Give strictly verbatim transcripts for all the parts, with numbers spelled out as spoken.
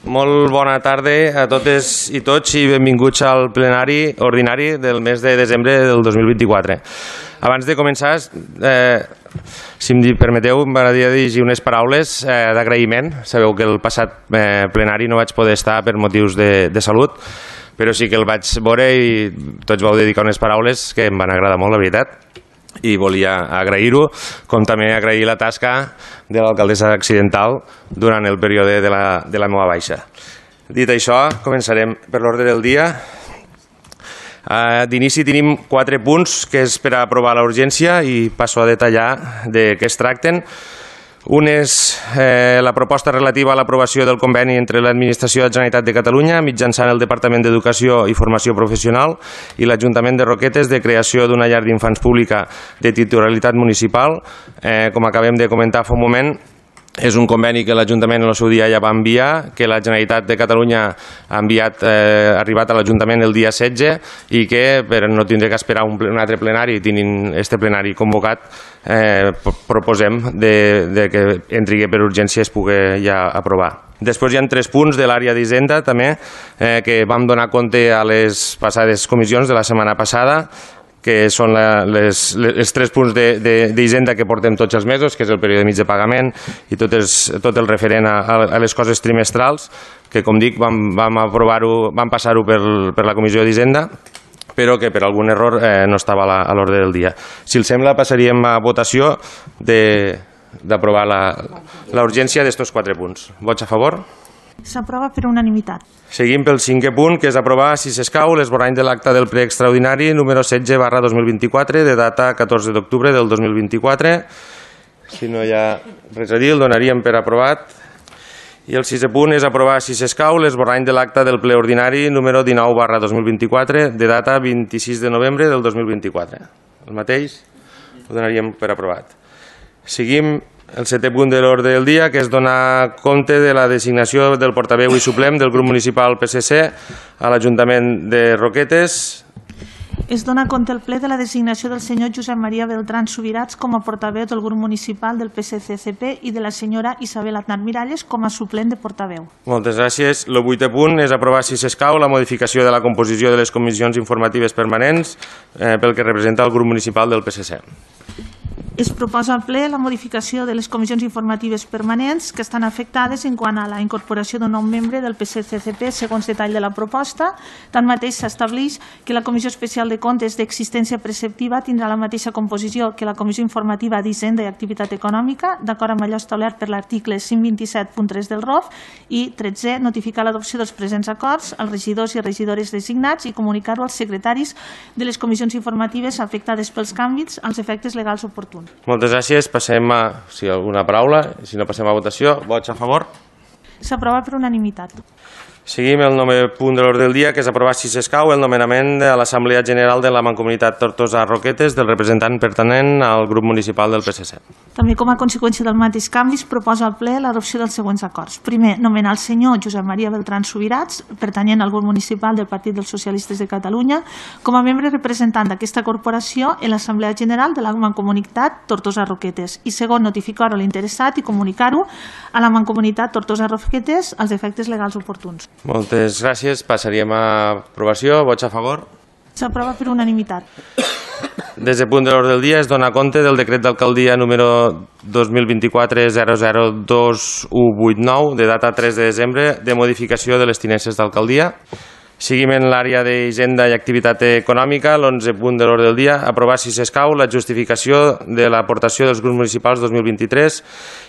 Molt bona tarda a totes i tots i benvinguts al plenari ordinari del mes de desembre del dos mil vint-i-quatre. Abans de començar, eh, si em permeteu, m'agradaria dirigir unes paraules eh, d'agraïment. Sabeu que el passat eh, plenari no vaig poder estar per motius de, de salut, però sí que el vaig veure i tots vau dedicar unes paraules que em van agradar molt, la veritat. I volia agrair-ho, com també agrair la tasca de l'alcaldessa accidental durant el període de la, de la meva baixa. Dit això, començarem per l'ordre del dia. Uh, D'inici tenim quatre punts que és per a aprovar la urgència i passo a detallar de què es tracten. Un és eh, la proposta relativa a l'aprovació del conveni entre l'Administració de la Generalitat de Catalunya mitjançant el Departament d'Educació i Formació Professional i l'Ajuntament de Roquetes de creació d'una llar d'infants pública de titularitat municipal. Eh, com acabem de comentar fa un moment, és un conveni que l'Ajuntament en el seu dia ja va enviar, que la Generalitat de Catalunya ha enviat, eh, arribat a l'Ajuntament el dia setze i que, per no tindre que esperar un, un altre plenari, tinint este plenari convocat, eh, proposem de, de que entri per urgència es pugui ja aprovar. Després hi ha tres punts de l'àrea d'Hisenda també, eh, que vam donar compte a les passades comissions de la setmana passada, que són la, les, les, els tres punts d'Hisenda que portem tots els mesos, que és el període mig de pagament i tot, els, tot el referent a, a les coses trimestrals, que com dic vam, vam, aprovar-ho, vam passar-ho per, per la Comissió d'Hisenda, però que per algun error eh, no estava a l'ordre del dia. Si els sembla, passaríem a votació d'aprovar la urgència d'estos quatre punts. Vots a favor? S'aprova per unanimitat. Seguim pel cinquè punt, que és aprovar, si s'escau, l'esborrany de l'acte del ple extraordinari número setze barra dos mil vint-i-quatre, de data catorze d'octubre del dos mil vint-i-quatre. Si no hi ha res a dir, el donaríem per aprovat. I el sisè punt és aprovar, si s'escau, l'esborrany de l'acte del ple ordinari número dinou barra dos mil vint-i-quatre, de data vint-i-sis de novembre del dos mil vint-i-quatre. El mateix, el donaríem per aprovat. Seguim el setè punt de l'ordre del dia, que és donar compte de la designació del portaveu i suplent del grup municipal P S C a l'Ajuntament de Roquetes. Es dona compte el ple de la designació del senyor Josep Maria Beltrán Subirats com a portaveu del grup municipal del P S C C P i de la senyora Isabel Aznar Miralles com a suplent de portaveu. Moltes gràcies. El vuitè punt és aprovar, si s'escau, la modificació de la composició de les comissions informatives permanents eh, pel que representa el grup municipal del P S C. Es proposa al ple la modificació de les comissions informatives permanents que estan afectades en quant a la incorporació d'un nou membre del P S C C P segons detall de la proposta. Tanmateix s'estableix que la Comissió Especial de Comptes d'Existència Preceptiva tindrà la mateixa composició que la Comissió Informativa d'Hisenda i Activitat Econòmica, d'acord amb allò establert per l'article cent vint-i-set punt tres del R O F, i tretze notificar l'adopció dels presents acords als regidors i regidores designats i comunicar-ho als secretaris de les comissions informatives afectades pels canvis als efectes legals oportuns. Moltes gràcies. Passem a, si hi ha alguna paraula, si no passem a votació. Vots a favor? S'aprova per unanimitat. Seguim el novè punt de l'ordre del dia, que és aprovar, si s'escau, el nomenament a l'Assemblea General de la Mancomunitat Tortosa-Roquetes del representant pertanent al grup municipal del P S C. També com a conseqüència del mateix canvi es proposa al ple l'adopció dels següents acords. Primer, nomenar el senyor Josep Maria Beltrán Subirats, pertanyent al grup municipal del Partit dels Socialistes de Catalunya, com a membre representant d'aquesta corporació en l'Assemblea General de la Mancomunitat Tortosa-Roquetes. I segon, notificar-ho a l'interessat i comunicar-ho a la Mancomunitat Tortosa-Roquetes als efectes legals oportuns. Moltes gràcies. Passaríem a aprovació. Vots a favor? S'aprova per unanimitat. Des del punt de l'ordre del dia es dona compte del decret d'alcaldia número dos mil vint-i-quatre zero zero dos u vuit nou de data tres de desembre de modificació de les tinences d'alcaldia. Seguim en l'àrea d'Hisenda i Activitat Econòmica, l'onze punt de l'ordre del dia, aprovar, si s'escau, la justificació de l'aportació dels grups municipals dos mil vint-i-tres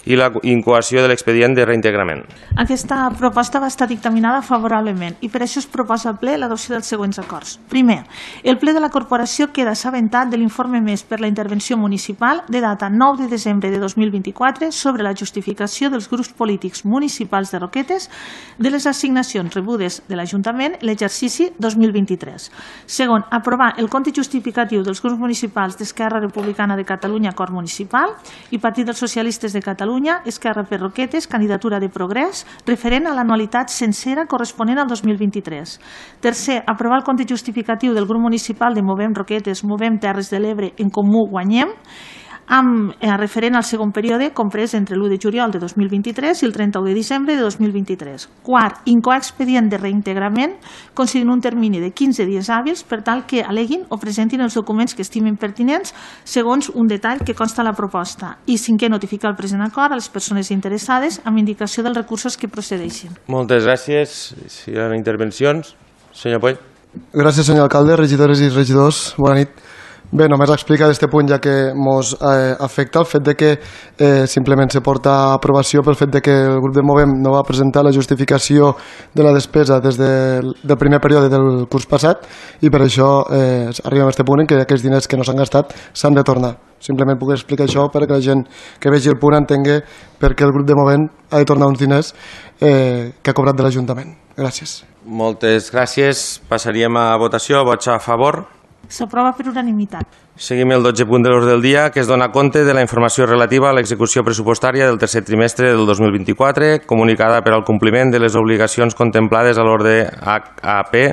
i la incoació de l'expedient de reintegrament. Aquesta proposta va estar dictaminada favorablement i per això es proposa al ple l'adopció dels següents acords. Primer, el ple de la corporació queda assabentat de l'informe emès per la intervenció municipal de data nou de desembre de dos mil vint-i-quatre sobre la justificació dels grups polítics municipals de Roquetes de les assignacions rebudes de l'Ajuntament l'exercici dos mil vint-i-tres. Segon, aprovar el compte justificatiu dels grups municipals d'Esquerra Republicana de Catalunya, Cor Municipal, i Partit dels Socialistes de Catalunya, Esquerra per Roquetes, Candidatura de Progrés, referent a l'anualitat sencera corresponent al dos mil vint-i-tres. Tercer, aprovar el compte justificatiu del grup municipal de Movem Roquetes, Movem Terres de l'Ebre, En Comú Guanyem, amb eh, referent al segon període comprès entre l'u de juliol de dos mil vint-i-tres i el trenta-u de desembre de dos mil vint-i-tres. Quart, incoar expedient de reintegrament considerant un termini de quinze dies hàbils per tal que aleguin o presentin els documents que estimin pertinents segons un detall que consta a la proposta. I cinquè, notificar el present acord a les persones interessades amb indicació dels recursos que procedeixin. Moltes gràcies. Si hi ha intervencions, senyor Poll. Gràcies, senyor alcalde, regidores i regidors. Bona nit. Bé, només explicar d'aquest punt ja que ens eh, afecta el fet de que eh, simplement se porta a aprovació pel fet de que el grup de Movem no va presentar la justificació de la despesa des del, del primer període del curs passat i per això eh, arribem a aquest punt en què aquests diners que no s'han gastat s'han de tornar. Simplement puc explicar això perquè la gent que vegi el punt entengui perquè el grup de Movem ha de tornar uns diners eh, que ha cobrat de l'Ajuntament. Gràcies. Moltes gràcies. Passaríem a votació. Vots a favor. S'aprova per unanimitat. Seguim el dotze punt de l'ordre del dia, que es dona compte de la informació relativa a l'execució pressupostària del tercer trimestre del dos mil vint-i-quatre, comunicada per al compliment de les obligacions contemplades a l'ordre H A P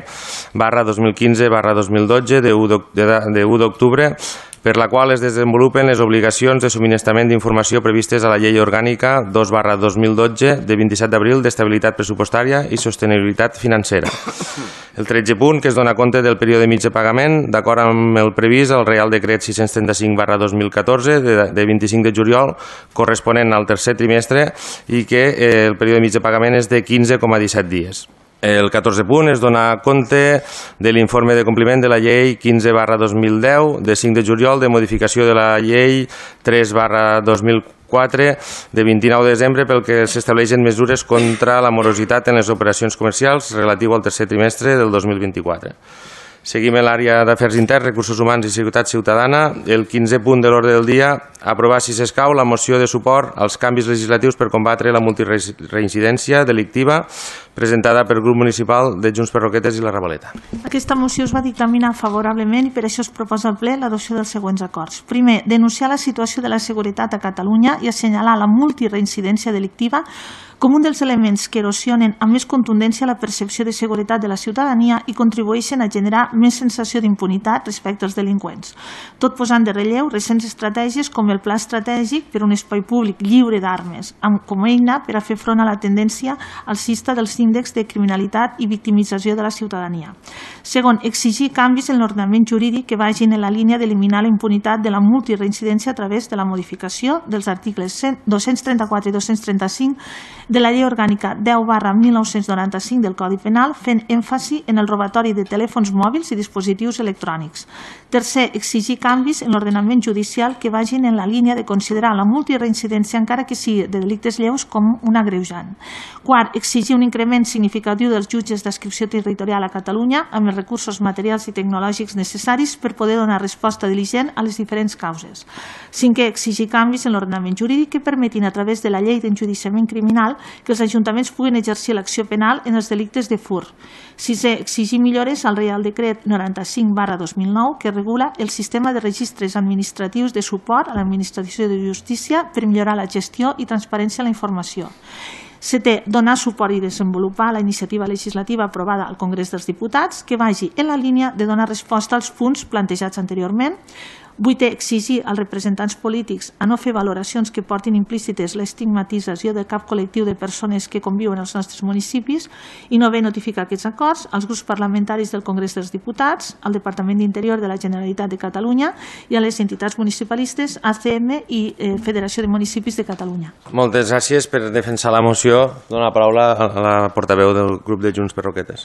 barra dos mil quinze barra dos mil dotze de u d'octubre, per la qual es desenvolupen les obligacions de subministrament d'informació previstes a la Llei Orgànica dos barra dos mil dotze de vint-i-set d'abril d'estabilitat pressupostària i sostenibilitat financera. El tretze punt, que es dona compte del període mig de pagament, d'acord amb el previst al Reial Decret sis-cents trenta-cinc barra dos mil catorze de, de vint-i-cinc de juliol, corresponent al tercer trimestre, i que eh, el període mig de pagament és de quinze coma disset dies. El catorze punt es dona compte de l'informe de compliment de la llei quinze barra dos mil deu de cinc de juliol de modificació de la llei tres barra dos mil quatre de vint-i-nou de desembre pel que s'estableixen mesures contra la morositat en les operacions comercials relatiu al tercer trimestre del dos mil vint-i-quatre. Seguim en l'àrea d'Afers Interns, Recursos Humans i Seguretat Ciutadana. El quinze punt de l'ordre del dia, aprovar, si s'escau, la moció de suport als canvis legislatius per combatre la multireincidència delictiva presentada pel grup municipal de Junts per Roquetes i la Ravaleta. Aquesta moció es va dictaminar favorablement i per això es proposa al ple l'adopció dels següents acords. Primer, denunciar la situació de la seguretat a Catalunya i assenyalar la multireincidència delictiva com un dels elements que erosionen amb més contundència la percepció de seguretat de la ciutadania i contribueixen a generar més sensació d'impunitat respecte als delinqüents. Tot posant de relleu recents estratègies com el Pla Estratègic per un espai públic lliure d'armes, com a eina per a fer front a la tendència alcista dels índexs de criminalitat i victimització de la ciutadania. Segon, exigir canvis en l'ordenament jurídic que vagin en la línia d'eliminar la impunitat de la multireincidència a través de la modificació dels articles dos-cents trenta-quatre i dos-cents trenta-cinc de la Llei Orgànica deu barra mil nou-cents noranta-cinc del Codi Penal, fent èmfasi en el robatori de telèfons mòbils i dispositius electrònics. Tercer, exigir canvis en l'ordenament judicial que vagin en la línia de considerar la multireincidència, encara que sigui de delictes lleus, com un agreujant. Quart, exigir un increment significatiu dels jutges d'adscripció territorial a Catalunya amb els recursos materials i tecnològics necessaris per poder donar resposta diligent a les diferents causes. Cinquè, exigir canvis en l'ordenament jurídic que permetin, a través de la llei d'enjudiciament criminal, que els ajuntaments puguin exercir l'acció penal en els delictes de furt. Sisè, exigir millores al Reial Decret noranta-cinc barra dos mil nou que regula el sistema de registres administratius de suport a l'administració de justícia per millorar la gestió i transparència en la informació. Setè, donar suport i desenvolupar la iniciativa legislativa aprovada al Congrés dels Diputats que vagi en la línia de donar resposta als punts plantejats anteriorment. Vuitè, exigir als representants polítics a no fer valoracions que portin implícites l'estigmatització de cap col·lectiu de persones que conviuen als nostres municipis i no haver notificar aquests acords als grups parlamentaris del Congrés dels Diputats, al Departament d'Interior de la Generalitat de Catalunya i a les entitats municipalistes A C M i eh, Federació de Municipis de Catalunya. Moltes gràcies per defensar la moció. Dono la paraula a la portaveu del grup de Junts per Roquetes.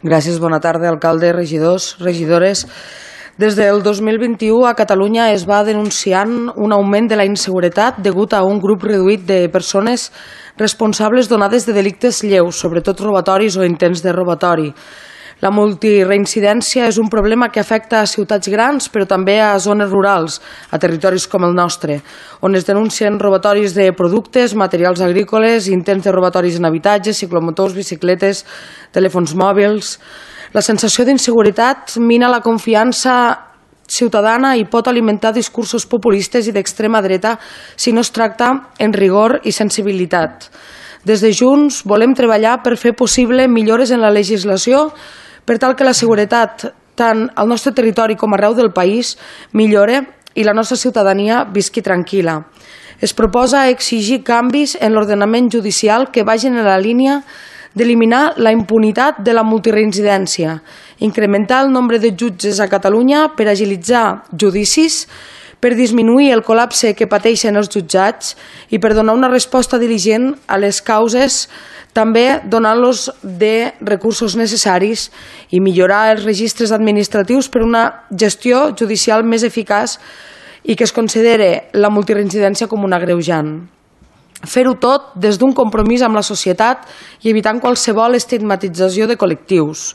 Gràcies, bona tarda, alcalde, regidors, regidores. Des del dos mil vint-i-u a Catalunya es va denunciant un augment de la inseguretat degut a un grup reduït de persones responsables donades de delictes lleus, sobretot robatoris o intents de robatori. La multireincidència és un problema que afecta a ciutats grans, però també a zones rurals, a territoris com el nostre, on es denuncien robatoris de productes, materials agrícoles, intents de robatoris en habitatges, ciclomotors, bicicletes, telèfons mòbils. La sensació d'inseguretat mina la confiança ciutadana i pot alimentar discursos populistes i d'extrema dreta si no es tracta en rigor i sensibilitat. Des de Junts volem treballar per fer possible millores en la legislació per tal que la seguretat, tant al nostre territori com arreu del país, millore i la nostra ciutadania visqui tranquil·la. Es proposa exigir canvis en l'ordenament judicial que vagin en la línia d'eliminar la impunitat de la multireincidència, incrementar el nombre de jutges a Catalunya per agilitzar judicis, per disminuir el col·lapse que pateixen els jutjats i per donar una resposta diligent a les causes, també donant-los de recursos necessaris i millorar els registres administratius per una gestió judicial més eficaç i que es considere la multireincidència com un agreujant. Fer-ho tot des d'un compromís amb la societat i evitant qualsevol estigmatització de col·lectius.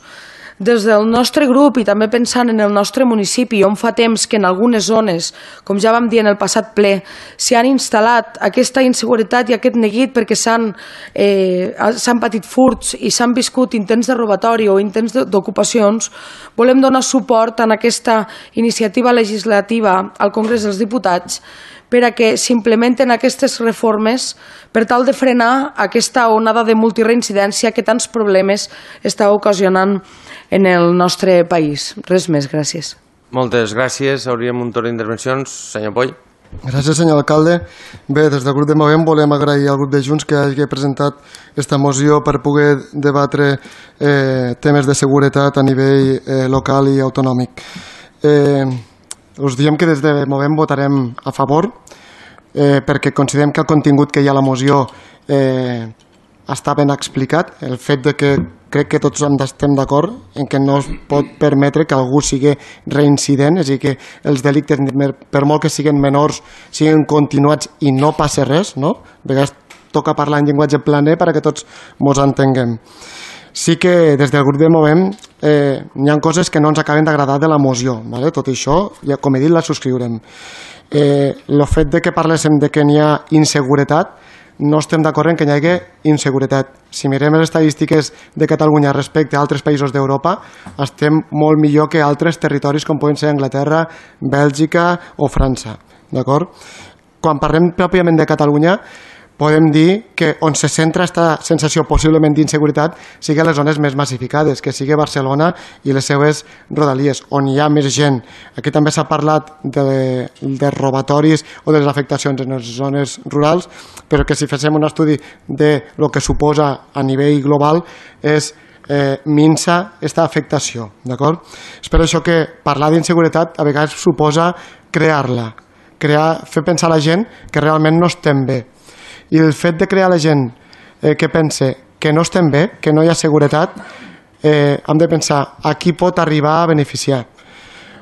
Des del nostre grup i també pensant en el nostre municipi, on fa temps que en algunes zones, com ja vam dir en el passat ple, s'hi han instal·lat aquesta inseguretat i aquest neguit perquè s'han eh, s'han patit furts i s'han viscut intents de robatori o intents d'ocupacions, volem donar suport a aquesta iniciativa legislativa al Congrés dels Diputats per a que s'implementen aquestes reformes per tal de frenar aquesta onada de multireincidència que tants problemes està ocasionant en el nostre país. Res més, gràcies. Moltes gràcies. Hauríem un torn d'intervencions. Senyor Poll. Gràcies, senyor alcalde. Bé, des del grup de Movem volem agrair al grup de Junts que hagi presentat aquesta moció per poder debatre eh, temes de seguretat a nivell eh, local i autonòmic. Eh, us diem que des de Movem votarem a favor eh, perquè considerem que el contingut que hi ha a la moció eh, està ben explicat. El fet de que crec que tots estem d'acord en que no es pot permetre que algú sigui reincident, és a dir, que els delictes, per molt que siguin menors, siguin continuats i no passa res, no? A vegades toca parlar en llenguatge planer perquè tots ens entenguem. Sí que des del grup de Movem eh, hi ha coses que no ens acaben d'agradar de la moció, ¿vale? Tot això, ja, com he dit, la subscriurem. Eh, el fet de que parléssim de que n'hi ha inseguretat, no estem d'acord en que hi hagi inseguretat. Si mirem les estadístiques de Catalunya respecte a altres països d'Europa, estem molt millor que altres territoris com poden ser Anglaterra, Bèlgica o França. D'acord? Quan parlem pròpiament de Catalunya, podem dir que on se centra aquesta sensació possiblement d'inseguretat sigui a les zones més massificades, que sigui Barcelona i les seues rodalies, on hi ha més gent. Aquí també s'ha parlat de, de robatoris o de les afectacions en les zones rurals, però que si féssim un estudi de lo que suposa a nivell global és eh, minsa aquesta afectació. D'acord? És per això que parlar d'inseguretat a vegades suposa crear-la, crear, fer pensar a la gent que realment no estem bé. I el fet de crear la gent eh, que pense que no estem bé, que no hi ha seguretat, eh, hem de pensar a qui pot arribar a beneficiar.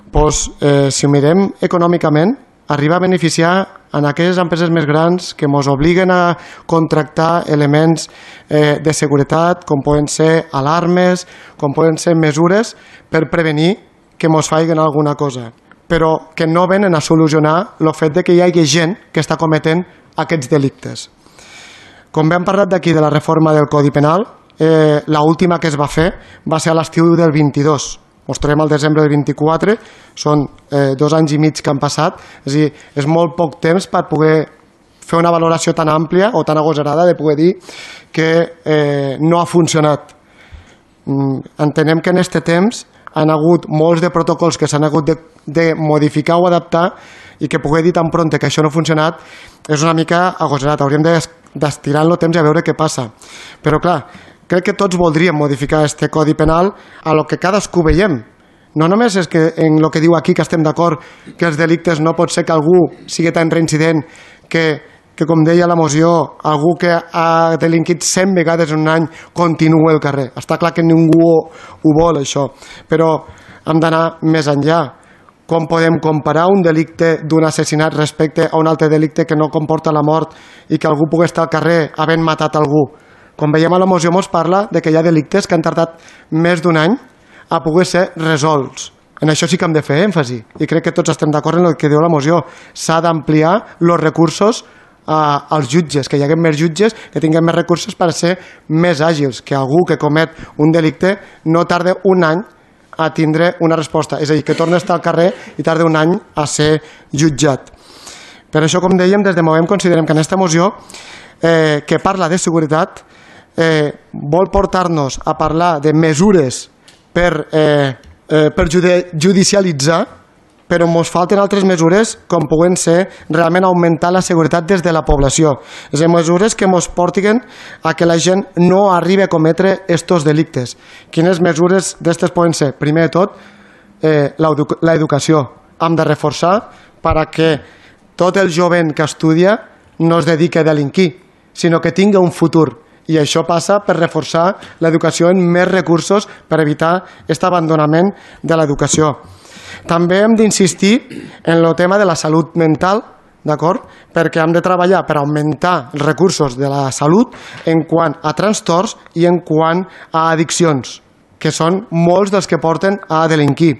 Pues, eh, si ho mirem econòmicament, arriba a beneficiar en aquelles empreses més grans que ens obliguen a contractar elements eh, de seguretat, com poden ser alarmes, com poden ser mesures per prevenir que ens facin alguna cosa, però que no venen a solucionar el fet de que hi hagi gent que està cometent aquests delictes. Com bé hem parlat d'aquí de la reforma del Codi Penal, eh, l'última que es va fer va ser a l'estiu del vint-i-dos. Ens trobem al desembre del vint-i-quatre, són eh, dos anys i mig que han passat, és a dir, és molt poc temps per poder fer una valoració tan àmplia o tan agosarada de poder dir que eh, no ha funcionat. Mm, entenem que en aquest temps han hagut molts de protocols que s'han hagut de, de modificar o adaptar i que poder dir tan prompte que això no ha funcionat és una mica agosarat. Hauríem d'estirar el temps i a veure què passa. Però clar, crec que tots voldríem modificar aquest Codi Penal a lo que cadascú veiem. No només és que en el que diu aquí que estem d'acord que els delictes no pot ser que algú sigui tan reincident que, que com deia la moció, algú que ha delinquit cent vegades en un any continua al carrer. Està clar que ningú ho, ho vol, això. Però hem d'anar més enllà. Com podem comparar un delicte d'un assassinat respecte a un altre delicte que no comporta la mort i que algú pugui estar al carrer havent matat algú? Com veiem a la moció ens parla de que hi ha delictes que han tardat més d'un any a poder ser resolts. En això sí que hem de fer èmfasi i crec que tots estem d'acord en el que diu la moció. S'ha d'ampliar els recursos a, als jutges, que hi hagi més jutges, que tinguem més recursos per ser més àgils, que algú que comet un delicte no tarda un any a tindre una resposta, és a dir, que torna a estar al carrer i tarda un any a ser jutjat. Per això, com dèiem, des de Movem considerem que en aquesta moció eh, que parla de seguretat eh, vol portar-nos a parlar de mesures per, eh, eh, per judicialitzar però ens falten altres mesures com poden ser realment augmentar la seguretat des de la població. És a dir, mesures que ens portin a que la gent no arribi a cometre estos delictes. Quines mesures d'aquestes poden ser? Primer de tot, eh, l'educació. Hem de reforçar perquè tot el jovent que estudia no es dediqui a delinquir, sinó que tingui un futur. I això passa per reforçar l'educació en més recursos per evitar aquest abandonament de l'educació. També hem d'insistir en el tema de la salut mental, d'acord? Perquè hem de treballar per augmentar els recursos de la salut en quant a trastorns i en quant a addiccions, que són molts dels que porten a delinquir.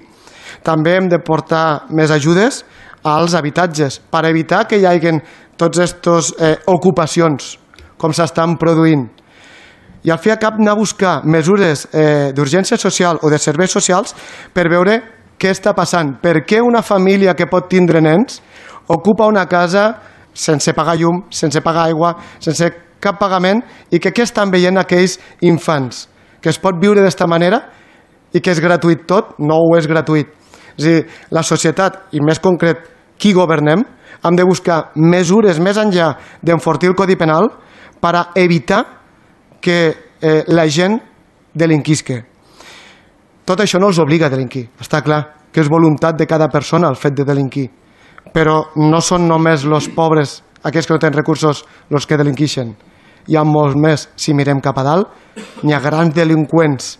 També hem de portar més ajudes als habitatges per evitar que hi hagi tots aquestes eh, ocupacions com s'estan produint. I al fi i al cap anar a buscar mesures eh, d'urgència social o de serveis socials per veure què està passant. Per què una família que pot tindre nens ocupa una casa sense pagar llum, sense pagar aigua, sense cap pagament, i que què estan veient aquells infants? Que es pot viure d'esta manera i que és gratuït tot? No ho és gratuït. És a dir, la societat, i més concret qui governem, hem de buscar mesures més enllà d'enfortir el Codi Penal per a evitar que eh, la gent delinquisca. Tot això no els obliga a delinquir, està clar, que és voluntat de cada persona el fet de delinquir. Però no són només els pobres, aquells que no tenen recursos, els que delinquixen. Hi ha molts més. Si mirem cap a dalt, n'hi ha grans delinqüents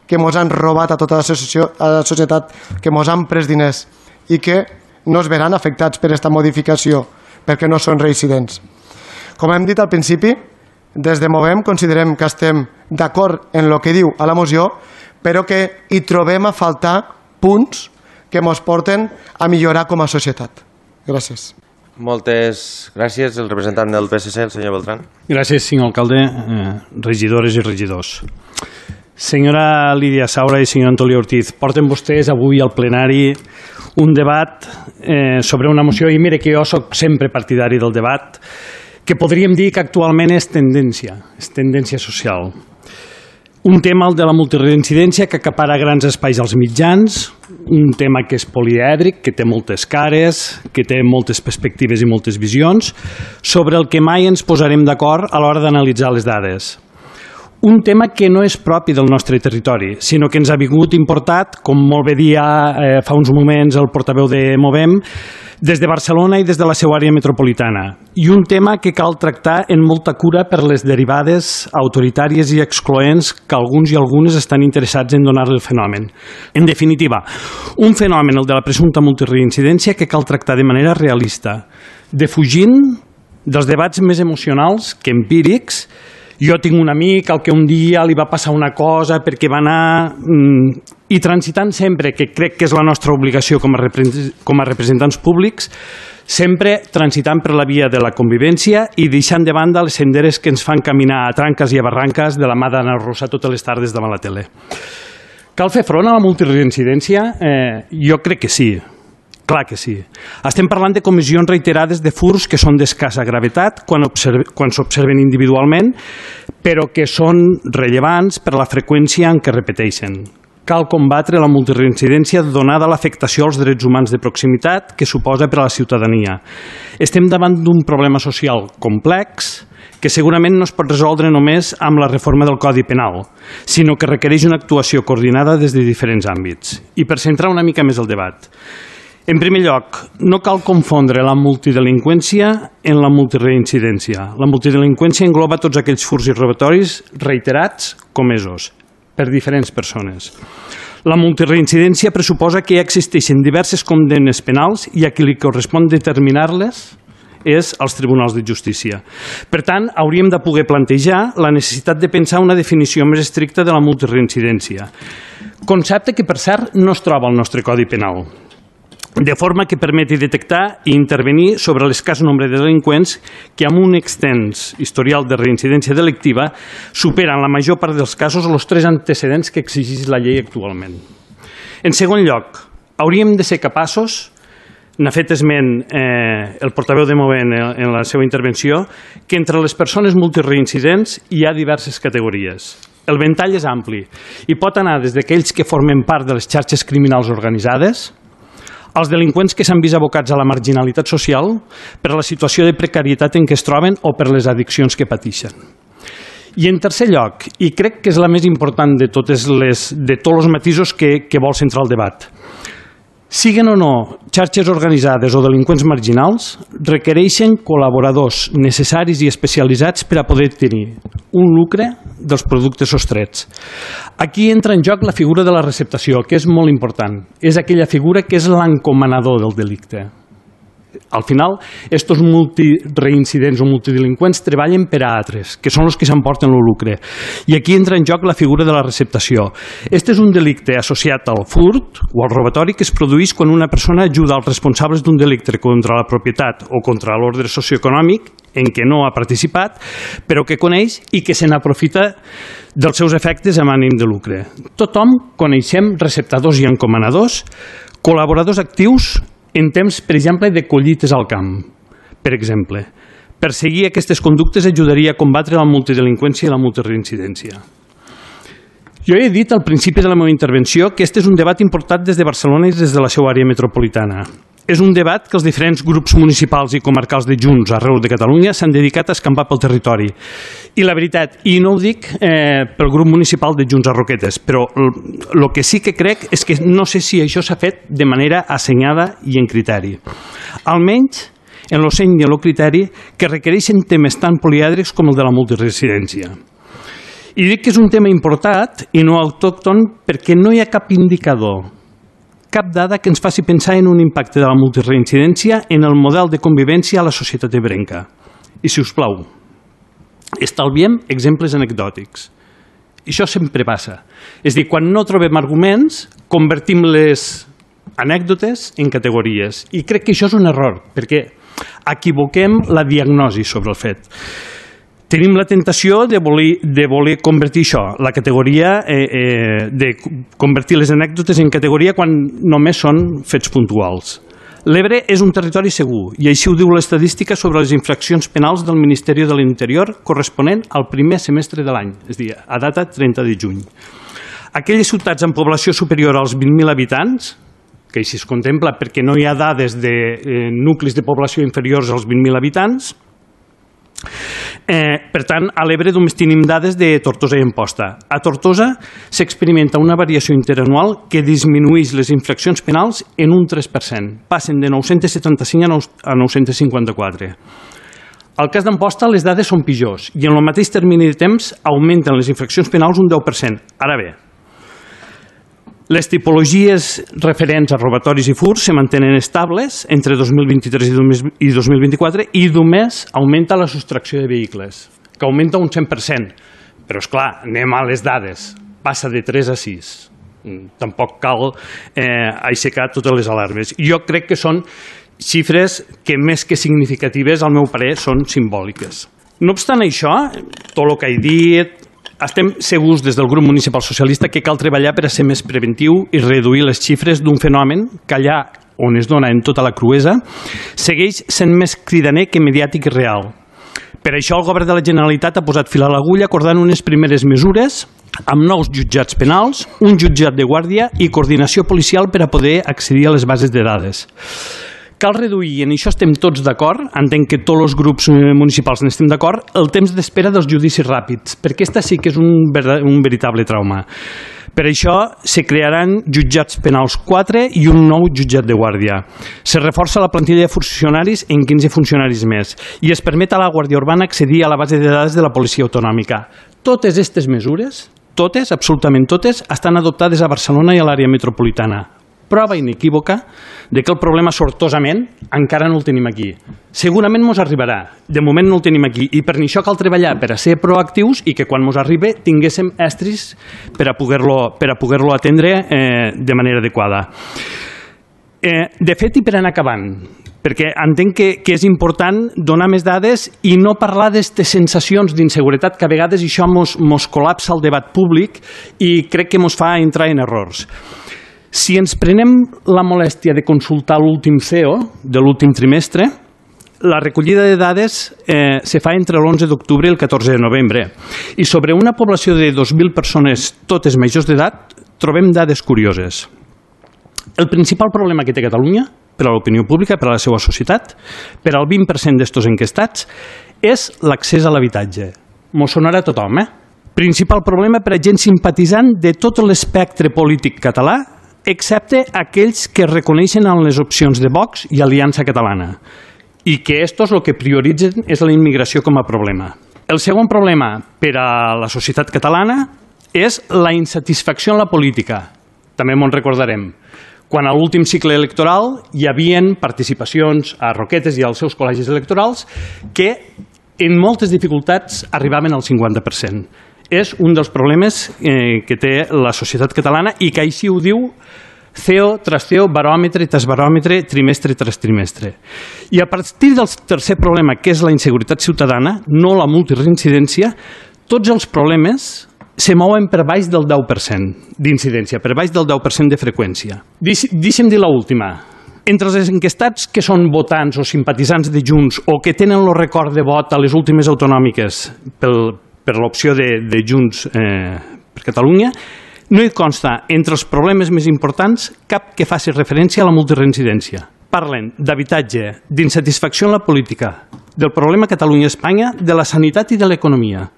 que ens han robat a tota la societat, que ens han pres diners i que no es veran afectats per aquesta modificació perquè no són reincidents. Com hem dit al principi, des de Movem considerem que estem d'acord en el que diu a la moció, però que hi trobem a faltar punts que ens porten a millorar com a societat. Gràcies. Moltes gràcies. El representant del P S C, el senyor Beltrán. Gràcies, senyor alcalde, eh, regidores i regidors. Senyora Lídia Saura i senyor Antolí Ortiz, porten vostès avui al plenari un debat eh, sobre una moció, i mire que jo soc sempre partidari del debat, que podríem dir que actualment és tendència, és tendència social. Un tema, el de la multireincidència, que acapara grans espais als mitjans, un tema que és polièdric, que té moltes cares, que té moltes perspectives i moltes visions, sobre el que mai ens posarem d'acord a l'hora d'analitzar les dades. Un tema que no és propi del nostre territori, sinó que ens ha vingut importat, com molt bé dia eh, fa uns moments el portaveu de Movem, des de Barcelona i des de la seva àrea metropolitana. I un tema que cal tractar en molta cura per les derivades autoritàries i excloents que alguns i algunes estan interessats en donar-li el fenomen. En definitiva, un fenomen, el de la presumpta multireincidència, que cal tractar de manera realista, defugint dels debats més emocionals que empírics. Jo tinc un amic al que un dia li va passar una cosa perquè va anar... Mmm, i transitant sempre, que crec que és la nostra obligació com a, com a representants públics, sempre transitant per la via de la convivència i deixant de banda les senderes que ens fan caminar a tranques i a barranques de la mà d'Anna Rosa totes les tardes davant la tele. Cal fer front a la multireincidència? Eh, jo crec que sí. Clar que sí. Estem parlant de comissions reiterades de furts que són d'escassa gravetat quan s'observen individualment, però que són rellevants per la freqüència en què repeteixen. Cal combatre la multireincidència donada l'afectació als drets humans de proximitat que suposa per a la ciutadania. Estem davant d'un problema social complex que segurament no es pot resoldre només amb la reforma del Codi Penal, sinó que requereix una actuació coordinada des de diferents àmbits. I per centrar una mica més el debat, en primer lloc, no cal confondre la multidelinqüència en la multireincidència. La multidelinqüència engloba tots aquells furts i robatoris reiterats comesos per diferents persones. La multireincidència pressuposa que ja existeixen diverses condemnes penals i a qui li correspon determinar-les és als tribunals de justícia. Per tant, hauríem de poder plantejar la necessitat de pensar una definició més estricta de la multireincidència. Concepte que, per cert, no es troba al nostre Codi Penal, de forma que permeti detectar i intervenir sobre l'escàs nombre de delinqüents que amb un extens historial de reincidència delictiva superen la major part dels casos els tres antecedents que exigeix la llei actualment. En segon lloc, hauríem de ser capaços, n'ha fet esment eh, el portaveu de Movem en la seva intervenció, que entre les persones multireincidents hi ha diverses categories. El ventall és ampli i pot anar des d'aquells que formen part de les xarxes criminals organitzades, als delinqüents que s'han vist abocats a la marginalitat social per la situació de precarietat en què es troben o per les addiccions que pateixen. I en tercer lloc, i crec que és la més important de, totes les, de tots els matisos que, que vol centrar el debat, siguen o no xarxes organitzades o delinqüents marginals, requereixen col·laboradors necessaris i especialitzats per a poder tenir un lucre dels productes sostrets. Aquí entra en joc la figura de la receptació, que és molt important. És aquella figura que és l'encomanador del delicte. Al final, estos multireincidents o multidelinqüents treballen per a altres, que són els que s'emporten el lucre. I aquí entra en joc la figura de la receptació. Este és un delicte associat al furt o al robatori que es produeix quan una persona ajuda als responsables d'un delicte contra la propietat o contra l'ordre socioeconòmic en què no ha participat, però que coneix i que se n'aprofita dels seus efectes amb ànim de lucre. Tothom coneixem receptadors i encomanadors, col·laboradors actius en temps, per exemple, de collites al camp. Per exemple, perseguir aquestes conductes ajudaria a combatre la multidelinqüència i la multireincidència. Jo he dit al principi de la meva intervenció que este és un debat importat des de Barcelona i des de la seva àrea metropolitana. És un debat que els diferents grups municipals i comarcals de Junts arreu de Catalunya s'han dedicat a escampar pel territori. I la veritat, i no ho dic eh, pel grup municipal de Junts a Roquetes, però el que sí que crec és que no sé si això s'ha fet de manera assenyada i en criteri. Almenys en el seny i el criteri que requereixen temes tan polièdrics com el de la multiresidència. I dic que és un tema importat i no autòcton perquè no hi ha cap indicador, cap dada que ens faci pensar en un impacte de la multireincidència en el model de convivència a la societat ebrenca. I, si us plau, estalviem exemples anecdòtics. Això sempre passa. És a dir, quan no trobem arguments, convertim les anècdotes en categories. I crec que això és un error, perquè equivoquem la diagnosi sobre el fet. Tenim la tentació de voler, de voler convertir això, la categoria, eh, eh, de convertir les anècdotes en categoria quan només són fets puntuals. L'Ebre és un territori segur i així ho diu l'estadística sobre les infraccions penals del Ministeri de l'Interior corresponent al primer semestre de l'any, és a dir, a data trenta de juny. Aquelles ciutats amb població superior als vint mil habitants, que així es contempla perquè no hi ha dades de eh, nuclis de població inferiors als vint mil habitants, Eh, per tant, a l'Ebre només tenim dades de Tortosa i Amposta. A Tortosa s'experimenta una variació interanual que disminueix les infraccions penals en un tres per cent. Passen de nou-cents setanta-cinc a nou-cents cinquanta-quatre. Al cas d'Amposta les dades són pitjors i en el mateix termini de temps augmenten les infraccions penals un deu per cent. Ara bé, les tipologies referents a robatoris i furs se mantenen estables entre dos mil vint-i-tres i dos mil vint-i-quatre i només augmenta la sostracció de vehicles, que augmenta un cent per cent. Però, esclar, anem a les dades. Passa de tres a sis. Tampoc cal eh, aixecar totes les alarmes. Jo crec que són xifres que, més que significatives, al meu parer, són simbòliques. No obstant això, tot el que he dit, estem segurs des del grup municipal socialista que cal treballar per a ser més preventiu i reduir les xifres d'un fenomen que allà on es dona en tota la cruesa segueix sent més cridaner que mediàtic i real. Per això el govern de la Generalitat ha posat fil a l'agulla acordant unes primeres mesures amb nous jutjats penals, un jutjat de guàrdia i coordinació policial per a poder accedir a les bases de dades. Cal reduir, i en això estem tots d'acord, entenc que tots els grups municipals n'estem d'acord, el temps d'espera dels judicis ràpids, perquè aquesta sí que és un, un veritable trauma. Per això se crearan jutjats penals quatre i un nou jutjat de guàrdia. Se reforça la plantilla de funcionaris en quinze funcionaris més i es permet a la Guàrdia Urbana accedir a la base de dades de la policia autonòmica. Totes aquestes mesures, totes, absolutament totes, estan adoptades a Barcelona i a l'àrea metropolitana. Prova inequívoca de que el problema, sortosament, encara no el tenim aquí. Segurament mos arribarà. De moment no el tenim aquí. I per això cal treballar per a ser proactius i que quan mos arribi tinguéssim estris per a poder-lo per a poder-lo atendre eh, de manera adequada. Eh, de fet, i per anar acabant, perquè entenc que, que és important donar més dades i no parlar d'aquestes sensacions d'inseguretat que a vegades això mos, mos col·lapsa el debat públic i crec que mos fa entrar en errors. Si ens prenem la molèstia de consultar l'últim C E O de l'últim trimestre, la recollida de dades eh, se fa entre l'onze d'octubre i el catorze de novembre. I sobre una població de dos mil persones, totes majors d'edat, trobem dades curioses. el principal problema que té Catalunya, per a l'opinió pública, per a la seva societat, per al vint per cent d'estos enquestats, és l'accés a l'habitatge. M'ho sonarà a tothom, eh? Principal problema per a gent simpatitzant de tot l'espectre polític català, excepte aquells que reconeixen en les opcions de Vox i Aliança Catalana, i que estos el que prioritzen és la immigració com a problema. El segon problema per a la societat catalana és la insatisfacció en la política. També m'ho recordarem. Quan a l'últim cicle electoral hi havien participacions a Roquetes i als seus col·legis electorals que en moltes dificultats arribaven al cinquanta per cent. És un dels problemes eh, que té la societat catalana i que així ho diu C E O tras C E O, baròmetre tras baròmetre, trimestre tras trimestre. I a partir del tercer problema, que és la inseguretat ciutadana, no la multireincidència, tots els problemes se mouen per baix del deu per cent d'incidència, per baix del deu per cent de freqüència. Deixa'm dir l'última. Entre els enquestats que són votants o simpatitzants de Junts o que tenen el record de vot a les últimes autonòmiques pel, per l'opció de, de Junts eh, per Catalunya, no hi consta entre els problemes més importants cap que faci referència a la multireincidència. Parlen d'habitatge, d'insatisfacció en la política, del problema Catalunya-Espanya, de la sanitat i de l'economia.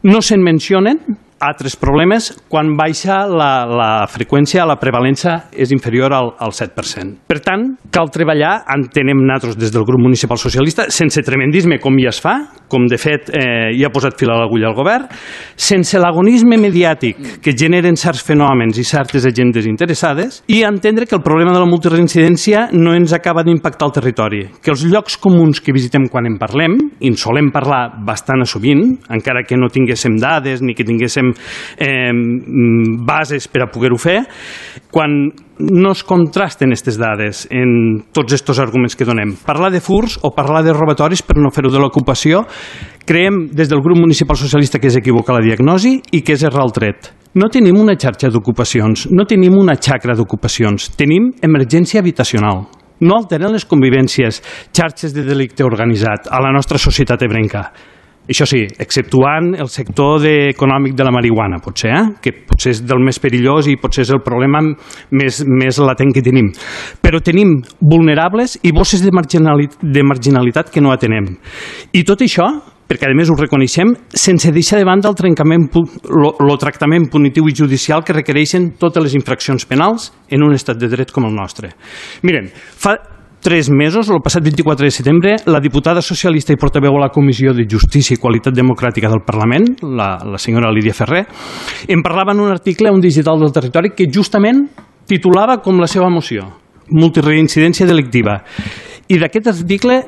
No se'n mencionen altres problemes quan baixa la, la freqüència, la prevalença és inferior al, al set per cent. Per tant, cal treballar, entenem nosaltres des del grup municipal socialista, sense tremendisme com ja es fa, com de fet eh, ja ha posat fil a l'agulla al govern, sense l'agonisme mediàtic que generen certs fenòmens i certes agendes interessades, i entendre que el problema de la multireincidència no ens acaba d'impactar al territori, que els llocs comuns que visitem quan en parlem, i en solem parlar bastant sovint, encara que no tinguéssim dades ni que tinguéssim eh, bases per a poder-ho fer, quan no es contrasten aquestes dades en tots aquests arguments que donem. Parlar de furs o parlar de robatoris per no fer-ho de l'ocupació, creiem des del grup municipal socialista que és equivocar la diagnosi i que és errar el tret. No tenim una xarxa d'ocupacions, no tenim una xacra d'ocupacions, tenim emergència habitacional. No alteren les convivències, xarxes de delicte organitzat a la nostra societat ebrenca. Això sí, exceptuant el sector de, econòmic de la marihuana, potser, eh? que potser és del més perillós i potser és el problema més, més latent que tenim. Però tenim vulnerables i bosses de marginalitat, de marginalitat que no atenem. I tot això, perquè a més ho reconeixem, sense deixar de banda el trencament, el tractament punitiu i judicial que requereixen totes les infraccions penals en un estat de dret com el nostre. Miren, fa tres mesos, el passat vint-i-quatre de setembre, la diputada socialista i portaveu a la Comissió de Justícia i Qualitat Democràtica del Parlament, la, la senyora Lídia Ferrer, em parlava en un article a un digital del territori que justament titulava com la seva moció, multireincidència delictiva. I d'aquest article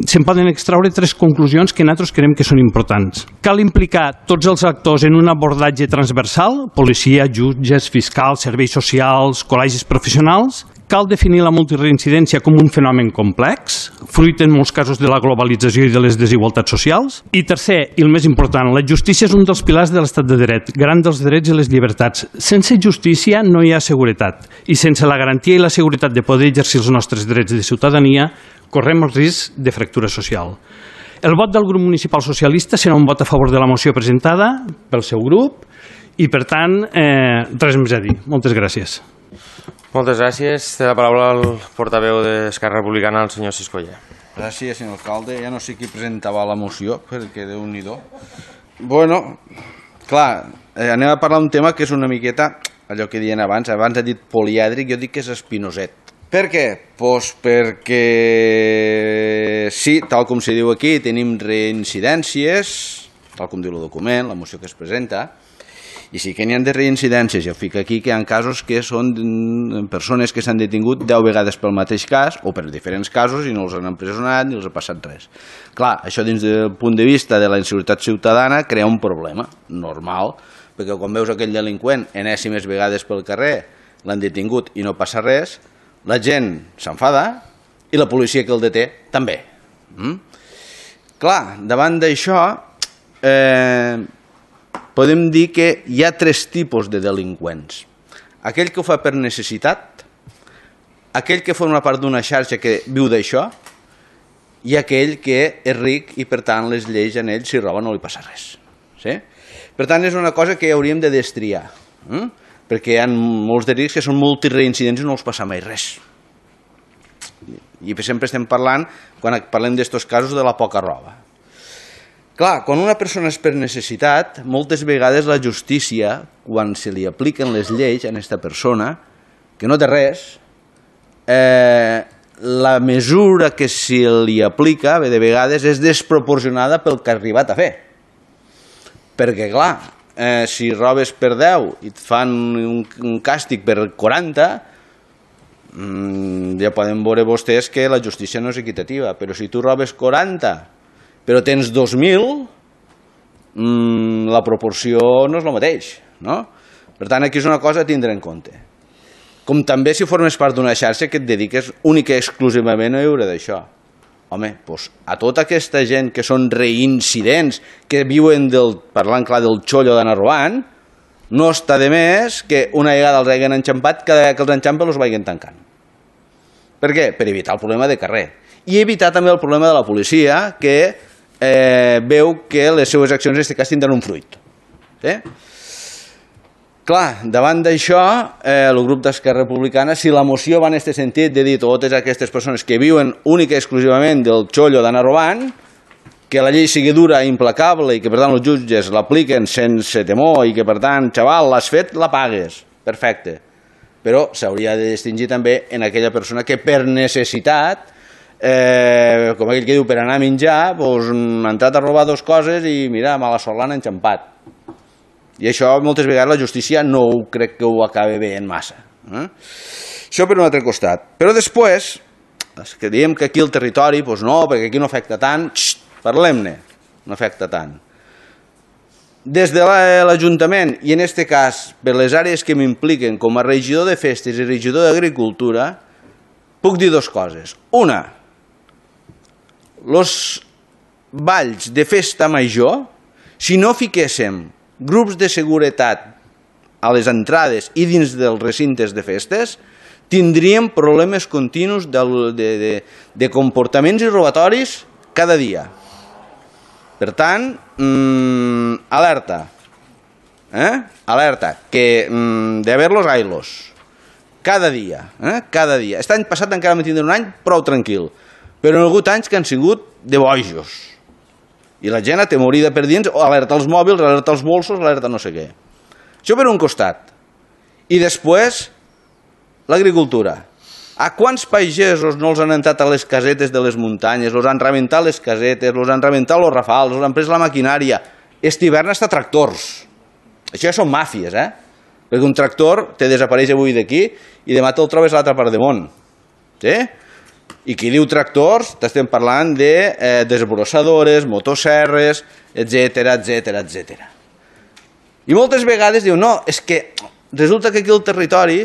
se'n poden extraure tres conclusions que nosaltres creiem que són importants. Cal implicar tots els actors en un abordatge transversal, policia, jutges, fiscals, serveis socials, col·legis professionals. Cal definir la multireincidència com un fenomen complex, fruit en molts casos de la globalització i de les desigualtats socials. I tercer, i el més important, la justícia és un dels pilars de l'estat de dret, garant dels drets i les llibertats. Sense justícia no hi ha seguretat, i sense la garantia i la seguretat de poder exercir els nostres drets de ciutadania, correm el risc de fractura social. El vot del grup municipal socialista serà un vot a favor de la moció presentada pel seu grup i, per tant, eh, res més a dir. Moltes gràcies. Moltes gràcies. Té la paraula el portaveu d'Esquerra Republicana, el senyor Siscoller. Gràcies, senyor alcalde. Ja no sé qui presentava la moció, perquè Déu-n'hi-do. Bueno, clar, eh, anem a parlar d'un tema que és una miqueta allò que deien abans. Abans ha dit polièdric, jo dic que és espinoset. Per què? Pues perquè sí, tal com se diu aquí, tenim reincidències, tal com diu el document, la moció que es presenta, i sí que n'hi ha de reincidències. Jo fico aquí que hi ha casos que són persones que s'han detingut deu vegades pel mateix cas o per diferents casos i no els han empresonat ni els ha passat res. Clar, això dins del punt de vista de la inseguretat ciutadana crea un problema normal, perquè quan veus aquell delinqüent enèsimes vegades pel carrer, l'han detingut i no passa res, la gent s'enfada i la policia que el deté també. Mm? Clar, davant d'això eh, podem dir que hi ha tres tipus de delinqüents. Aquell que ho fa per necessitat, aquell que forma part d'una xarxa que viu d'això i aquell que és ric i per tant les lleis en ell si roba no li passa res. Sí? Per tant és una cosa que hauríem de destriar. Mm? perquè hi ha molts delictes que són multireincidents i no els passa mai res. I sempre estem parlant, quan parlem d'estos casos, de la poca roba. Clar, quan una persona és per necessitat, moltes vegades la justícia, quan se li apliquen les lleis a aquesta persona, que no té res, eh, la mesura que se li aplica, de vegades, és desproporcionada pel que ha arribat a fer. Perquè, clar, eh, si robes per deu i et fan un, un càstig per quaranta, ja poden veure vostès que la justícia no és equitativa, però si tu robes quaranta però tens dos mil, la proporció no és el mateix, no? Per tant, aquí és una cosa a tindre en compte. Com també si formes part d'una xarxa que et dediques única i exclusivament a viure d'això. Home, doncs a tota aquesta gent que són reincidents, que viuen, del, parlant clar, del xollo d'anar robant, no està de més que una vegada els hagin enxampat, cada vegada que els enxampen els vagin tancant. Per què? Per evitar el problema de carrer. I evitar també el problema de la policia, que eh, veu que les seues accions en aquest cas tindran un fruit. Sí? Clar, davant d'això, eh, el grup d'Esquerra Republicana, si la moció va en aquest sentit de dir totes aquestes persones que viuen única i exclusivament del xollo d'anar robant, que la llei sigui dura i implacable i que per tant els jutges l'apliquen sense temor i que per tant, xaval, l'has fet, la pagues. Perfecte. Però s'hauria de distingir també en aquella persona que per necessitat, eh, com aquell que diu, per anar a menjar, doncs, ha entrat a robar dues coses i mira, mala sort l'han enxampat. I això moltes vegades la justícia no ho crec que ho acabi veient massa. Eh? Això per un altre costat. Però després, que diem que aquí el territori, doncs no, perquè aquí no afecta tant, xxt, parlem-ne, no afecta tant. Des de l'Ajuntament, i en aquest cas per les àrees que m'impliquen com a regidor de festes i regidor d'agricultura, puc dir dues coses. Una, els balls de festa major, si no fiquéssim grups de seguretat a les entrades i dins dels recintes de festes, tindríem problemes continus de, de, de, de comportaments i robatoris cada dia. Per tant, mmm, alerta, eh? alerta, que mmm, de haver-los ailos, cada dia, eh? cada dia. Aquest any passat encara vam tindre un any prou tranquil, però hi ha hagut anys que han sigut de bojos. I la gent atemorida per dins, alerta els mòbils, alerta els bolsos, alerta no sé què. Això per un costat. I després, l'agricultura. A quants pagesos no els han entrat a les casetes de les muntanyes, els han rebentat les casetes, els han rebentat els rafals, els han pres la maquinària. Aquest hivern està tractors. Això ja són màfies, eh? Perquè un tractor te desapareix avui d'aquí i demà te'l trobes a l'altra part del món. Sí? I qui diu tractors, t'estem parlant de eh, desbrossadores, motosserres, etcètera, etcètera, etcètera. I moltes vegades diu, no, és que resulta que aquí al territori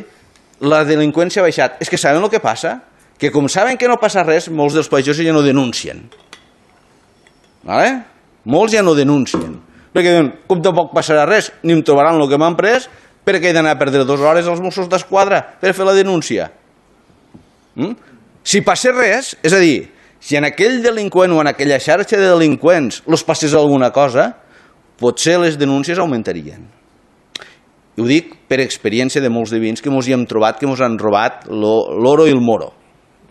la delinqüència ha baixat. És que saben el que passa? Que com saben que no passa res, molts dels pagesos ja no denuncien. Vale? Molts ja no denuncien. Perquè diuen, com tampoc passarà res, ni em trobaran el que m'han pres, perquè he d'anar a perdre dues hores als Mossos d'Esquadra per fer la denúncia. Mm? Si passa res, és a dir, si en aquell delinqüent o en aquella xarxa de delinqüents els passés alguna cosa, potser les denúncies augmentarien. I ho dic per experiència de molts divins que ens hi hem trobat, que ens han robat l'oro i el moro.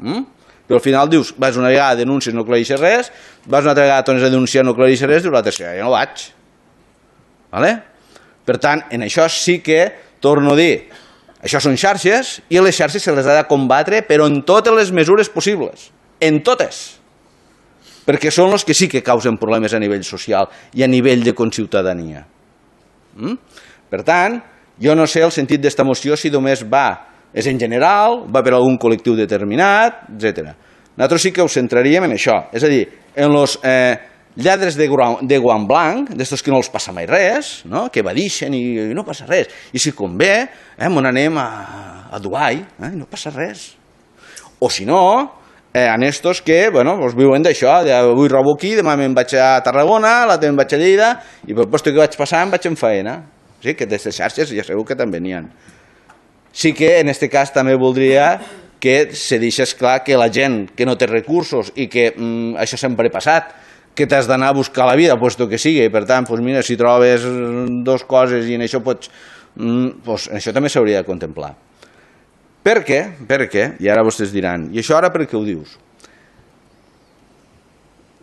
Mm? Però al final dius, vas una vegada a denúncies, no aclareixes res, vas una altra vegada tornes a denunciar, no aclareixes res, dius la tercera, ja no vaig. Vale? Per tant, en això sí que, torno a dir, això són xarxes i a les xarxes se les ha de combatre, però en totes les mesures possibles. En totes. Perquè són els que sí que causen problemes a nivell social i a nivell de conciutadania. Mm? Per tant, jo no sé el sentit d'esta moció si només va, és en general, va per algun col·lectiu determinat, etcètera. Nosaltres sí que ho centraríem en això, és a dir, en els eh, lladres de, de guant blanc, d'estos que no els passa mai res, no? Que evadixen i, i no passa res. I si convé, eh, on anem a, a Dubai, eh, i no passa res. O si no, eh, en estos que bueno, pues viuen d'això, avui robo aquí, demà me'n vaig a Tarragona, l'altre me'n vaig a Lleida, i per posto que vaig passar em vaig en faena. Sí, que d'aquestes xarxes ja segur que també n'hi ha. Sí que en aquest cas també voldria que se deixés clar que la gent que no té recursos i que mm, això sempre ha passat, que t'has d'anar a buscar la vida, puesto que sigui, i per tant, doncs mira, si trobes dues coses i en això pots doncs això també s'hauria de contemplar. Per què? Per què? I ara vostès diran, i això ara per què ho dius?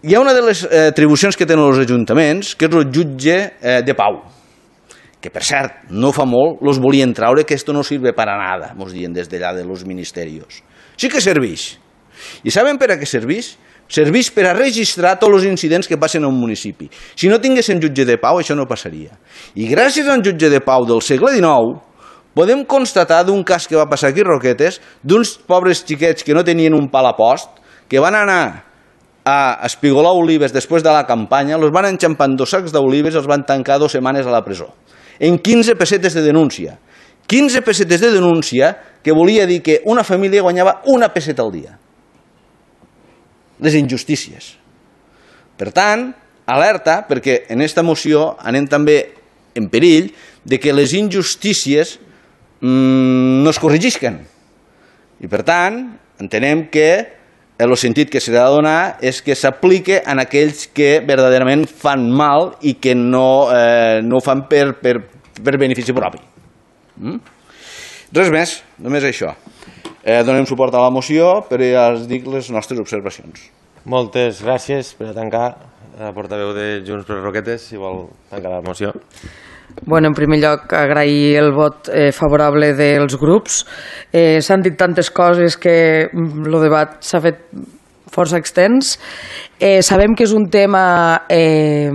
Hi ha una de les atribucions que tenen els ajuntaments, que és el jutge de pau, que per cert, no fa molt, els volien traure, que esto no sirve para nada, ens diuen des d'allà de los ministerios. Sí que serveix. I saben per a què serveix? Serveix per a registrar tots els incidents que passen a un municipi. Si no tinguessin jutge de pau, això no passaria. I gràcies a un jutge de pau del segle dinou, podem constatar d'un cas que va passar aquí a Roquetes, d'uns pobres xiquets que no tenien un pal a post, que van anar a espigolar olives després de la campanya, els van enxampar en dos sacs d'olives i els van tancar dues setmanes a la presó. En quinze pessetes de denúncia. quinze pessetes de denúncia que volia dir que una família guanyava una pesseta al dia. Les injustícies. Per tant, alerta, perquè en aquesta moció anem també en perill de que les injustícies mmm, no es corregisquen. I per tant, entenem que el sentit que s'ha de donar és que s'aplique en aquells que verdaderament fan mal i que no, eh, no ho fan per, per, per benefici propi. Mm? Res més, només això. Eh, donem suport a la moció, però ja els dic les nostres observacions. Moltes gràcies per a tancar. La portaveu de Junts per Roquetes, si vol tancar la moció. Bueno, en primer lloc, agrair el vot eh, favorable dels grups. Eh, S'han dit tantes coses que el debat s'ha fet força extens. Eh, sabem que és un tema eh,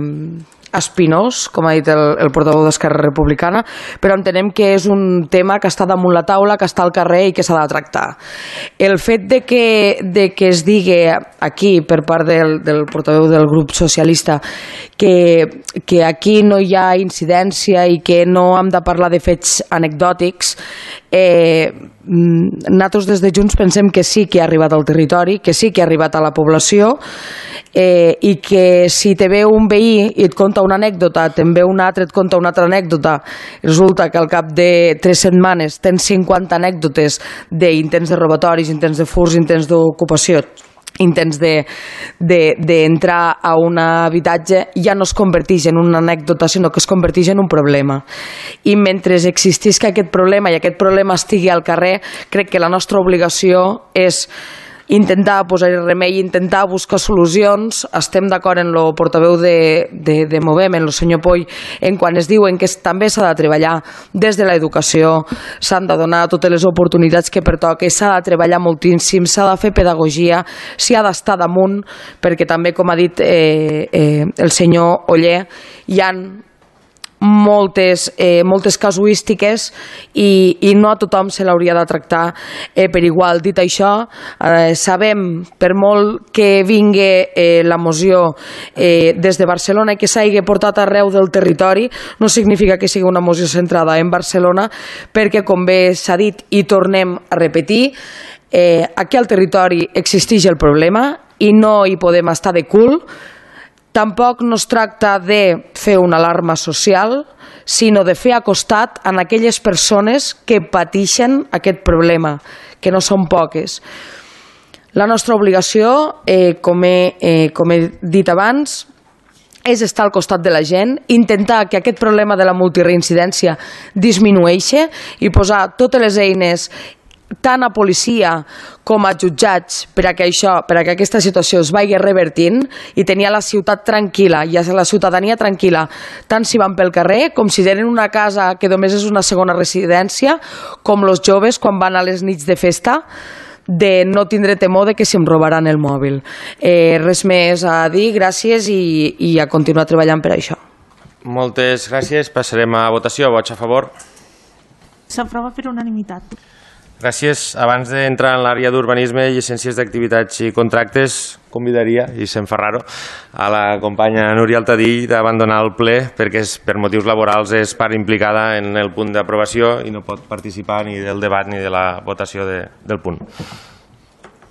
espinós, com ha dit el, el portaveu d'Esquerra Republicana, però entenem que és un tema que està damunt la taula, que està al carrer i que s'ha de tractar. El fet de que, de que es digui aquí, per part del, del portaveu del grup socialista, que, que aquí no hi ha incidència i que no hem de parlar de fets anecdòtics, eh, nosaltres des de Junts pensem que sí que ha arribat al territori, que sí que ha arribat a la població, eh, i que si te ve un veí i et conta una anècdota, te'n ve un altre, et conta una altra anècdota, resulta que al cap de tres setmanes tens cinquanta anècdotes d'intents de robatoris, intents de furs, intents d'ocupació, intents d'entrar de, a un habitatge, ja no es converteix en una anècdota, sinó que es converteix en un problema. I mentre existisca aquest problema i aquest problema estigui al carrer, crec que la nostra obligació és intentar posar-hi remei, intentar buscar solucions. Estem d'acord en el portaveu de, de, de Movem, en el senyor Poll, en quan es diuen que també s'ha de treballar des de l'educació, s'han de donar totes les oportunitats que pertoquen, s'ha de treballar moltíssim, s'ha de fer pedagogia, s'hi ha d'estar damunt, perquè també, com ha dit eh, eh, el senyor Oller, hi ha moltes, eh, moltes casuístiques i, i no a tothom se l'hauria de tractar eh, per igual. Dit això, eh, sabem, per molt que vingui eh, la moció eh, des de Barcelona i que s'hagi portat arreu del territori, no significa que sigui una moció centrada en Barcelona, perquè, com bé s'ha dit i tornem a repetir, eh, aquí al territori existeix el problema i no hi podem estar de cul. Tampoc no es tracta de fer una alarma social, sinó de fer acostat a aquelles persones que pateixen aquest problema, que no són poques. La nostra obligació, eh, com, he, eh, com he dit abans, és estar al costat de la gent, intentar que aquest problema de la multireincidència disminueixi i posar totes les eines tant a policia com a jutjats per a que això, per a que aquesta situació es vagi revertint i tenir la ciutat tranquil·la i la ciutadania tranquil·la, tant si van pel carrer com si tenen una casa que només és una segona residència, com els joves quan van a les nits de festa, de no tindre temor de que se'm robaran el mòbil. Eh, res més a dir, gràcies i, i a continuar treballant per això. Moltes gràcies, passarem a votació. Vots a favor? S'aprova per unanimitat. Gràcies. Abans d'entrar en l'àrea d'urbanisme, llicències d'activitats i contractes, convidaria, i se'm fa raro, a la companya Núria Altadill d'abandonar el ple perquè és, per motius laborals és part implicada en el punt d'aprovació i no pot participar ni del debat ni de la votació de, del punt.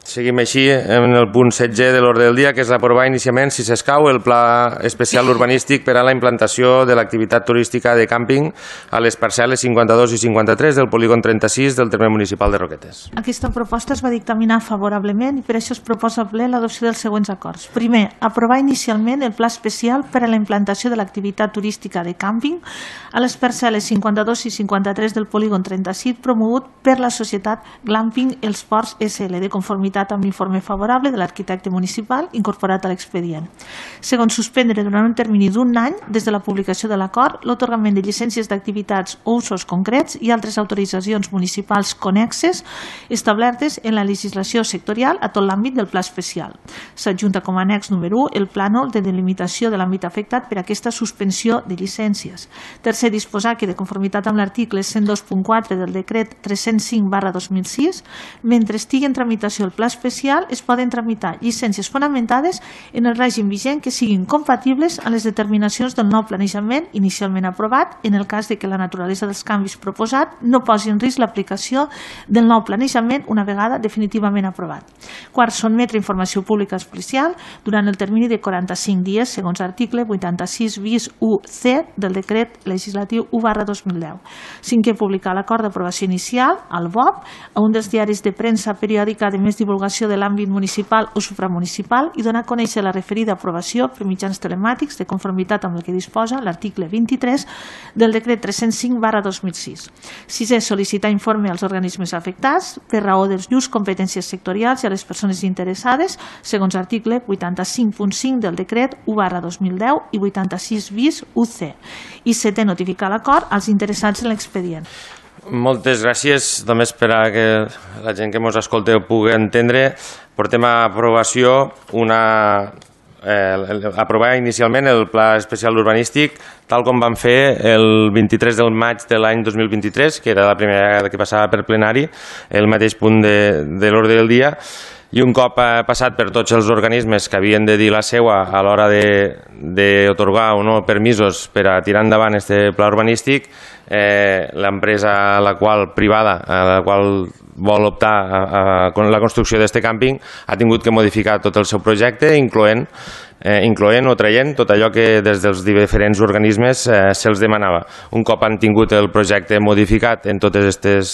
Seguim així en el punt setze de l'ordre del dia, que és aprovar inicialment, si s'escau, el pla especial urbanístic per a la implantació de l'activitat turística de càmping a les parcel·les cinquanta-dos i cinquanta-tres del polígon trenta-sis del terme municipal de Roquetes. Aquesta proposta es va dictaminar favorablement i per això es proposa al ple l'adopció dels següents acords. Primer, aprovar inicialment el pla especial per a la implantació de l'activitat turística de càmping a les parcel·les cinquanta-dos i cinquanta-tres del polígon trenta-sis promogut per la societat Glamping Els Ports S L de conformitat amb l'informe favorable de l'arquitecte municipal incorporat a l'expedient. Segon, suspendre durant un termini d'un any des de la publicació de l'acord l'atorgament de llicències d'activitats o usos concrets i altres autoritzacions municipals connexes establertes en la legislació sectorial a tot l'àmbit del pla especial. S'adjunta com a annex número u el plànol de delimitació de l'àmbit afectat per aquesta suspensió de llicències. Tercer, disposar que de conformitat amb l'article cent dos punt quatre del decret tres-cents cinc barra dos mil sis, mentre estigui en tramitació el pla especial es poden tramitar llicències fonamentades en el règim vigent que siguin compatibles amb les determinacions del nou planejament inicialment aprovat en el cas de que la naturalesa dels canvis proposat no posi en risc l'aplicació del nou planejament una vegada definitivament aprovat. Quart, sotmetre informació pública especial durant el termini de quaranta-cinc dies segons article vuitanta-sis bis u ce del decret legislatiu u barra dos mil deu. Cinquè, publicar l'acord d'aprovació inicial al B O P a un dels diaris de premsa periòdica de més divulgació de l'àmbit municipal o supramunicipal i donar a conèixer la referida aprovació per mitjans telemàtics de conformitat amb el que disposa l'article vint-i-tres del decret tres-cents cinc barra dos mil sis. Sisè, sol·licitar informe als organismes afectats per raó dels llurs competències sectorials i a les persones interessades segons article vuitanta-cinc punt cinc del decret u barra dos mil deu i vuitanta-sis bis u ce. I setè, notificar l'acord als interessats en l'expedient. Moltes gràcies. Només per a que la gent que ens escolta ho pugui entendre, portem a aprovació una... Eh, aprovar inicialment el Pla Especial Urbanístic tal com vam fer el vint-i-tres del maig de l'any dos mil vint-i-tres, que era la primera vegada que passava per plenari, el mateix punt de, de l'ordre del dia, i un cop passat per tots els organismes que havien de dir la seua a l'hora d'atorgar o no permisos per a tirar endavant aquest pla urbanístic, eh, l'empresa a la qual privada a la qual vol optar a, a, a la construcció d'aquest càmping ha tingut que modificar tot el seu projecte, incloent, eh, incloent o traient tot allò que des dels diferents organismes eh, se'ls demanava. Un cop han tingut el projecte modificat en totes aquestes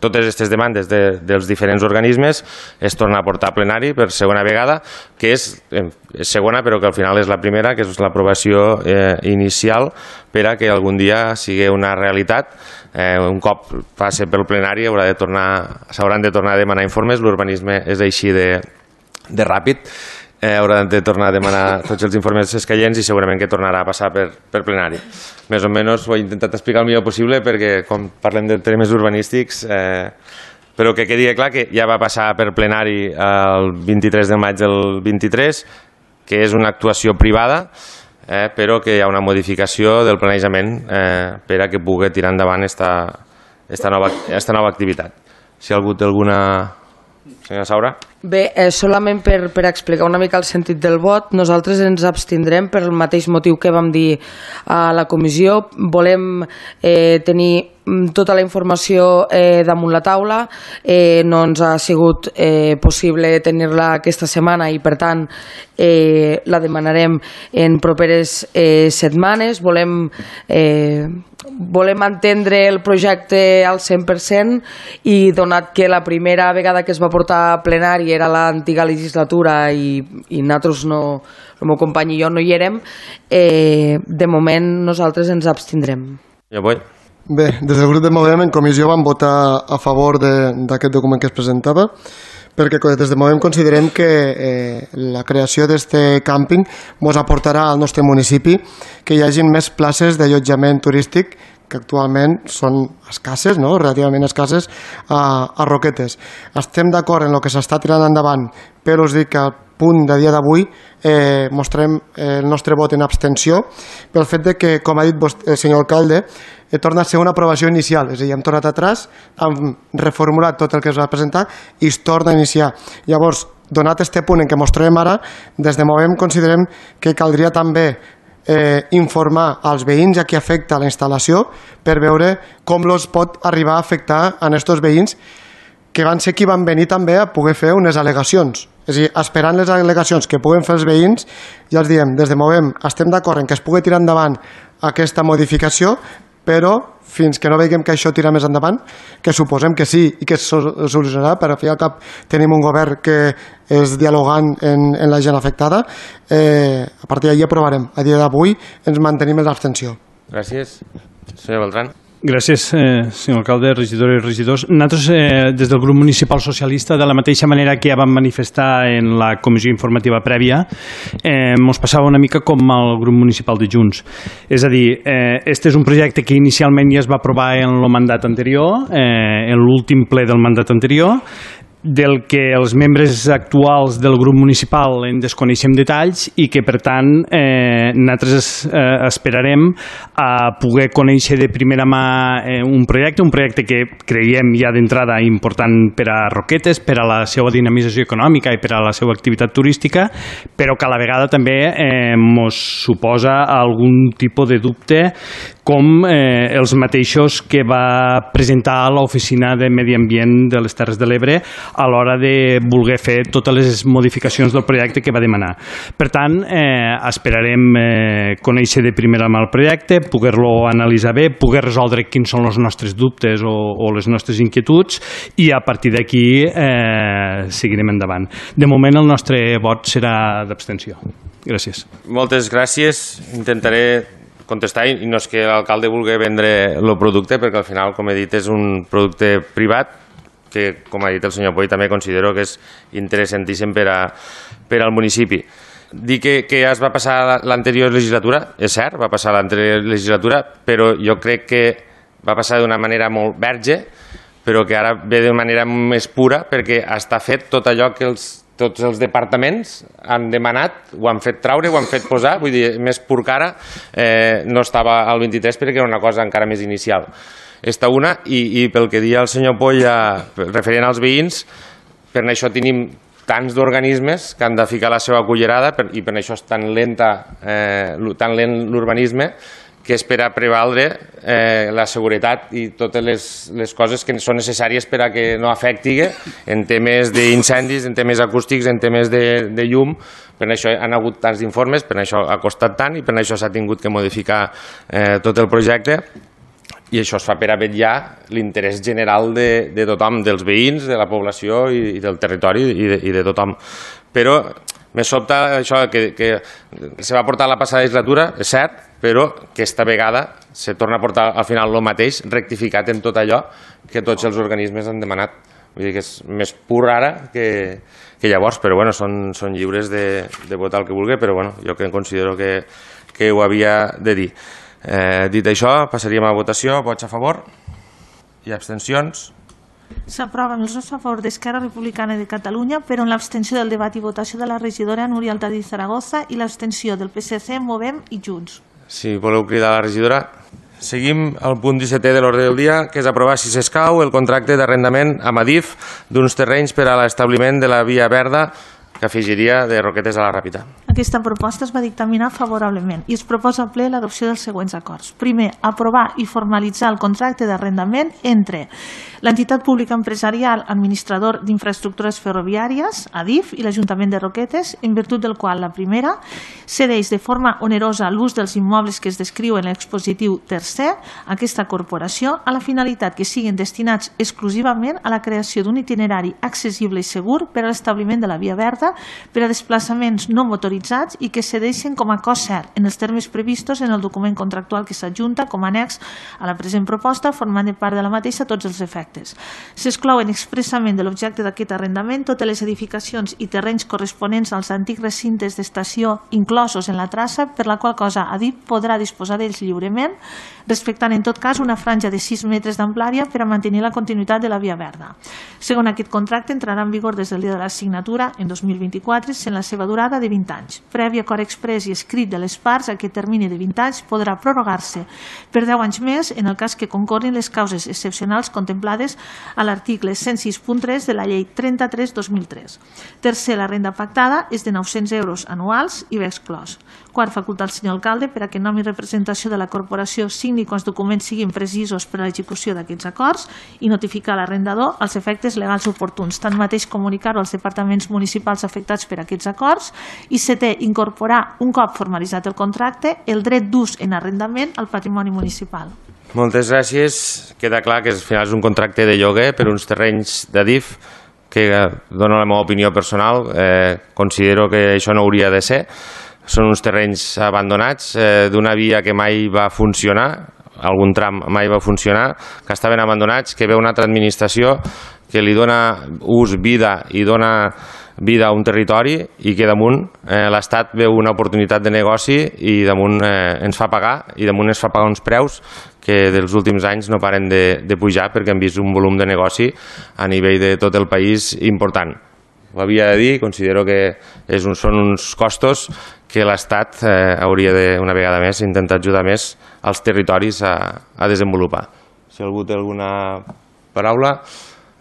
totes aquestes demandes de, dels diferents organismes, es torna a portar a plenari per segona vegada, que és, eh, és segona però que al final és la primera, que és l'aprovació eh, inicial per a que algun dia sigui una realitat. Eh, un cop passi pel plenari haurà de tornar, s'hauran de tornar a demanar informes, l'urbanisme és així de, de ràpid, eh, hauran de tornar a demanar tots els informes escaients i segurament que tornarà a passar per, per plenari. Més o menys ho he intentat explicar el millor possible perquè quan parlem de temes urbanístics, eh, però que quedi clar que ja va passar per plenari el vint-i-tres de maig del vint-i-tres, que és una actuació privada, Eh, però que hi ha una modificació del planejament eh, per a que pugui tirar endavant esta, esta, nova, esta nova activitat. Si algú té alguna... Senyora Saura? Bé, eh, solament per, per explicar una mica el sentit del vot, nosaltres ens abstindrem per el mateix motiu que vam dir a la comissió. Volem eh, tenir tota la informació eh, damunt la taula, eh, no ens ha sigut eh, possible tenir-la aquesta setmana i per tant eh, la demanarem en properes eh, setmanes. Volem, eh, volem entendre el projecte al cent per cent i donat que la primera vegada que es va portar a plenari era l'antiga legislatura i, i nosaltres no, el meu company i jo no hi érem, eh, de moment nosaltres ens abstindrem. Jo vull. Bé, des del grup de Movem en comissió vam votar a favor d'aquest document que es presentava perquè des de Movem considerem que eh, la creació d'aquest càmping ens aportarà al nostre municipi que hi hagi més places d'allotjament turístic que actualment són escasses, no? Relativament escasses, a, a Roquetes. Estem d'acord en el que s'està tirant endavant, però us dic que al punt de dia d'avui eh, mostrem el nostre vot en abstenció pel fet de que, com ha dit vostè, el senyor alcalde, eh, torna a ser una aprovació inicial, és a dir, hem tornat atrás, hem reformulat tot el que es va presentar i es torna a iniciar. Llavors, donat este punt en què mostrem ara, des de Movem considerem que caldria també Eh, informar als veïns a qui afecta la instal·lació per veure com els pot arribar a afectar a aquests veïns que van ser qui van venir també a poder fer unes al·legacions. És a dir, esperant les al·legacions que puguen fer els veïns, ja els diem, des de Movem estem d'acord en que es pugui tirar endavant aquesta modificació, però fins que no veiem que això tira més endavant, que suposem que sí i que es solucionarà, però al fi i al cap tenim un govern que és dialogant en, en la gent afectada, eh, a partir d'ahir aprovarem. A dia d'avui ens mantenim en l'abstenció. Gràcies. Senyor Beltrán. Gràcies, eh, senyor alcalde, regidores i regidors. Nosaltres, eh, des del grup municipal socialista, de la mateixa manera que ja vam manifestar en la comissió informativa prèvia, eh, ens passava una mica com el grup municipal de Junts. És a dir, eh, este és un projecte que inicialment ja es va aprovar en el mandat anterior, eh, en l'últim ple del mandat anterior, del que els membres actuals del grup municipal en desconeixem detalls i que, per tant, eh, nosaltres eh, esperarem a poder conèixer de primera mà eh, un projecte, un projecte que creiem ja d'entrada important per a Roquetes, per a la seva dinamització econòmica i per a la seva activitat turística, però que a la vegada també eh, mos suposa algun tipus de dubte, com eh, els mateixos que va presentar l'Oficina de Medi Ambient de les Terres de l'Ebre a l'hora de voler fer totes les modificacions del projecte que va demanar. Per tant, eh, esperarem eh, conèixer de primera mà el projecte, poder-lo analitzar bé, poder resoldre quins són els nostres dubtes o, o les nostres inquietuds i a partir d'aquí eh, seguirem endavant. De moment el nostre vot serà d'abstenció. Gràcies. Moltes gràcies. Intentaré contestar, i no és que l'alcalde vulgui vendre el producte, perquè al final, com he dit, és un producte privat que, com ha dit el senyor Poy, també considero que és interessantíssim per, a, per al municipi. Dir que, que ja es va passar l'anterior legislatura, és cert, va passar l'anterior legislatura, però jo crec que va passar d'una manera molt verge, però que ara ve d'una manera més pura, perquè està fet tot allò que els tots els departaments han demanat, ho han fet traure, ho han fet posar, vull dir, més pur que ara, eh, no estava al vint-i-tres perquè era una cosa encara més inicial. Esta una, i, i pel que deia el senyor Polla, referent als veïns, per això tenim tants d'organismes que han de ficar la seva cullerada per, i per això és tan lenta, eh, tan lent l'urbanisme, que és per a prevaldre eh, la seguretat i totes les, les coses que són necessàries per a que no afecti en temes d'incendis, en temes acústics, en temes de, de llum. Per això han hagut tants informes, per això ha costat tant i per això s'ha tingut que modificar eh, tot el projecte. I això es fa per a vetllar l'interès general de, de tothom, dels veïns, de la població i, i del territori i de, i de tothom. Però me sobta això que, que se va portar la passada legislatura, és cert, però que esta vegada se torna a portar al final el mateix, rectificat en tot allò que tots els organismes han demanat. Vull dir que és més pur ara que, que llavors, però bueno, són, són lliures de, de votar el que vulgui, però bueno, jo que considero que, que ho havia de dir. Eh, dit això, passaríem a votació. Vots a favor i abstencions. S'aprova amb els vots a favor d'Esquerra Republicana de Catalunya, però en l'abstenció del debat i votació de la regidora Núria Altadí Zaragoza i l'abstenció del P S C, Movem i Junts. Si voleu cridar a la regidora. Seguim al punt dissetè de l'ordre del dia, que és aprovar, si s'escau, el contracte d'arrendament a Madif d'uns terrenys per a l'establiment de la via verda que afegiria de Roquetes a la Ràpita. Aquesta proposta es va dictaminar favorablement i es proposa al ple l'adopció dels següents acords. Primer, aprovar i formalitzar el contracte d'arrendament entre l'entitat pública empresarial administrador d'infraestructures ferroviàries, Adif, i l'Ajuntament de Roquetes, en virtut del qual la primera cedeix de forma onerosa l'ús dels immobles que es descriu en l'expositiu tercer a aquesta corporació a la finalitat que siguin destinats exclusivament a la creació d'un itinerari accessible i segur per a l'establiment de la via verda per a desplaçaments no motoritzats i que cedeixen com a cost cert en els termes previstos en el document contractual que s'adjunta com a annex a la present proposta, formant de part de la mateixa tots els efectes. S'exclouen expressament de l'objecte d'aquest arrendament totes les edificacions i terrenys corresponents als antics recintes d'estació inclosos en la traça, per la qual cosa Adif podrà disposar d'ells lliurement, respectant en tot cas una franja de sis metres d'amplària per a mantenir la continuïtat de la via verda. Segons aquest contracte, entrarà en vigor des del dia de la signatura en dos mil mil vint-i-quatre, sent la seva durada de vint anys. Previ acord exprés i escrit de les parts, aquest termini de vint anys podrà prorrogar-se per deu anys més en el cas que concorrin les causes excepcionals contemplades a l'article cent sis punt tres de la llei trenta-tres dos mil tres. Tercer, la renda pactada és de nou-cents euros anuals i ve exclòs. Quart, facultar al senyor alcalde per a que en nom i representació de la corporació signi quan els documents siguin precisos per a l'execució d'aquests acords i notificar l'arrendador els efectes legals oportuns. Tanmateix, comunicar-ho als departaments municipals afectats per aquests acords. I setè, incorporar, un cop formalitzat el contracte, el dret d'ús en arrendament al patrimoni municipal. Moltes gràcies. Queda clar que al final és un contracte de lloguer per uns terrenys d'Adif que, dono la meva opinió personal, eh, considero que això no hauria de ser. Són uns terrenys abandonats eh, d'una via que mai va funcionar, algun tram mai va funcionar, que estaven abandonats, que ve una altra administració que li dona ús, vida i dona vida a un territori i que damunt eh, l'Estat veu una oportunitat de negoci i damunt eh, ens fa pagar i damunt ens fa pagar uns preus que dels últims anys no paren de, de pujar perquè hem vist un volum de negoci a nivell de tot el país important. Ho havia de dir, considero que és un, són uns costos que l'Estat eh, hauria de, una vegada més, intentar ajudar més als territoris a, a desenvolupar. Si algú té alguna paraula,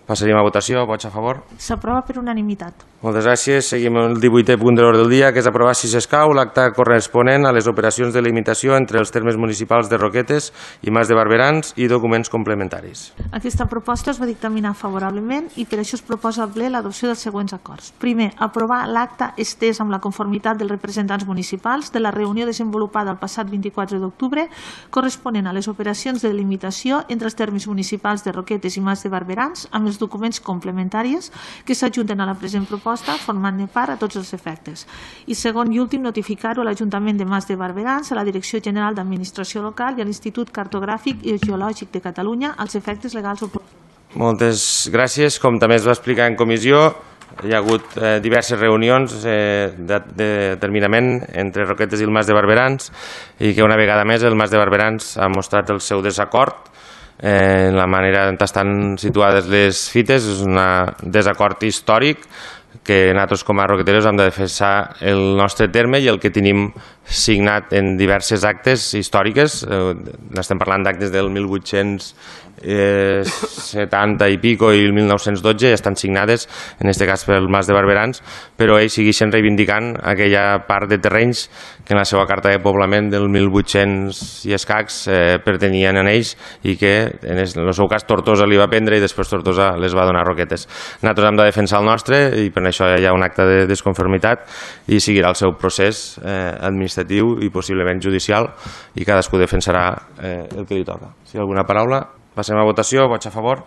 passaríem a votació. Vots a favor? S'aprova per unanimitat. Moltes gràcies. Seguim el divuitè punt de l'ordre del dia, que és aprovar, si s'escau, l'acte corresponent a les operacions de limitació entre els termes municipals de Roquetes i Mas de Barberans i documents complementaris. Aquesta proposta es va dictaminar favorablement i per això es proposa al ple l'adopció dels següents acords. Primer, aprovar l'acte estès amb la conformitat dels representants municipals de la reunió desenvolupada el passat vint-i-quatre d'octubre corresponent a les operacions de limitació entre els termes municipals de Roquetes i Mas de Barberans amb els documents complementaris que s'adjunten a la present proposta formant-ne part a tots els efectes. I segon i últim, notificar-ho a l'Ajuntament de Mas de Barberans, a la Direcció General d'Administració Local i a l'Institut Cartogràfic i Geològic de Catalunya als efectes legals oportuns. Moltes gràcies. Com també es va explicar en comissió, hi ha hagut eh, diverses reunions eh, de, de determinament entre Roquetes i el Mas de Barberans i que una vegada més el Mas de Barberans ha mostrat el seu desacord eh, en la manera en què estan situades les fites. És un desacord històric que nosaltres com a roqueteros hem de defensar el nostre terme i el que tenim signat en diverses actes històriques. Eh, estem parlant d'actes del mil vuit-cents setanta i pico i el mil nou-cents dotze, ja estan signades, en aquest cas pel Mas de Barberans, però ells segueixen reivindicant aquella part de terrenys que en la seva carta de poblament del mil vuit-cents i escacs eh, pertanyien a ells i que en el seu cas Tortosa li va prendre i després Tortosa les va donar a Roquetes. Nosaltres hem de defensar el nostre i per això hi ha un acte de desconformitat i seguirà el seu procés eh, administratiu i possiblement judicial i cadascú defensarà eh, el que li toca. Si hi ha alguna paraula, passem a votació. Vots a favor?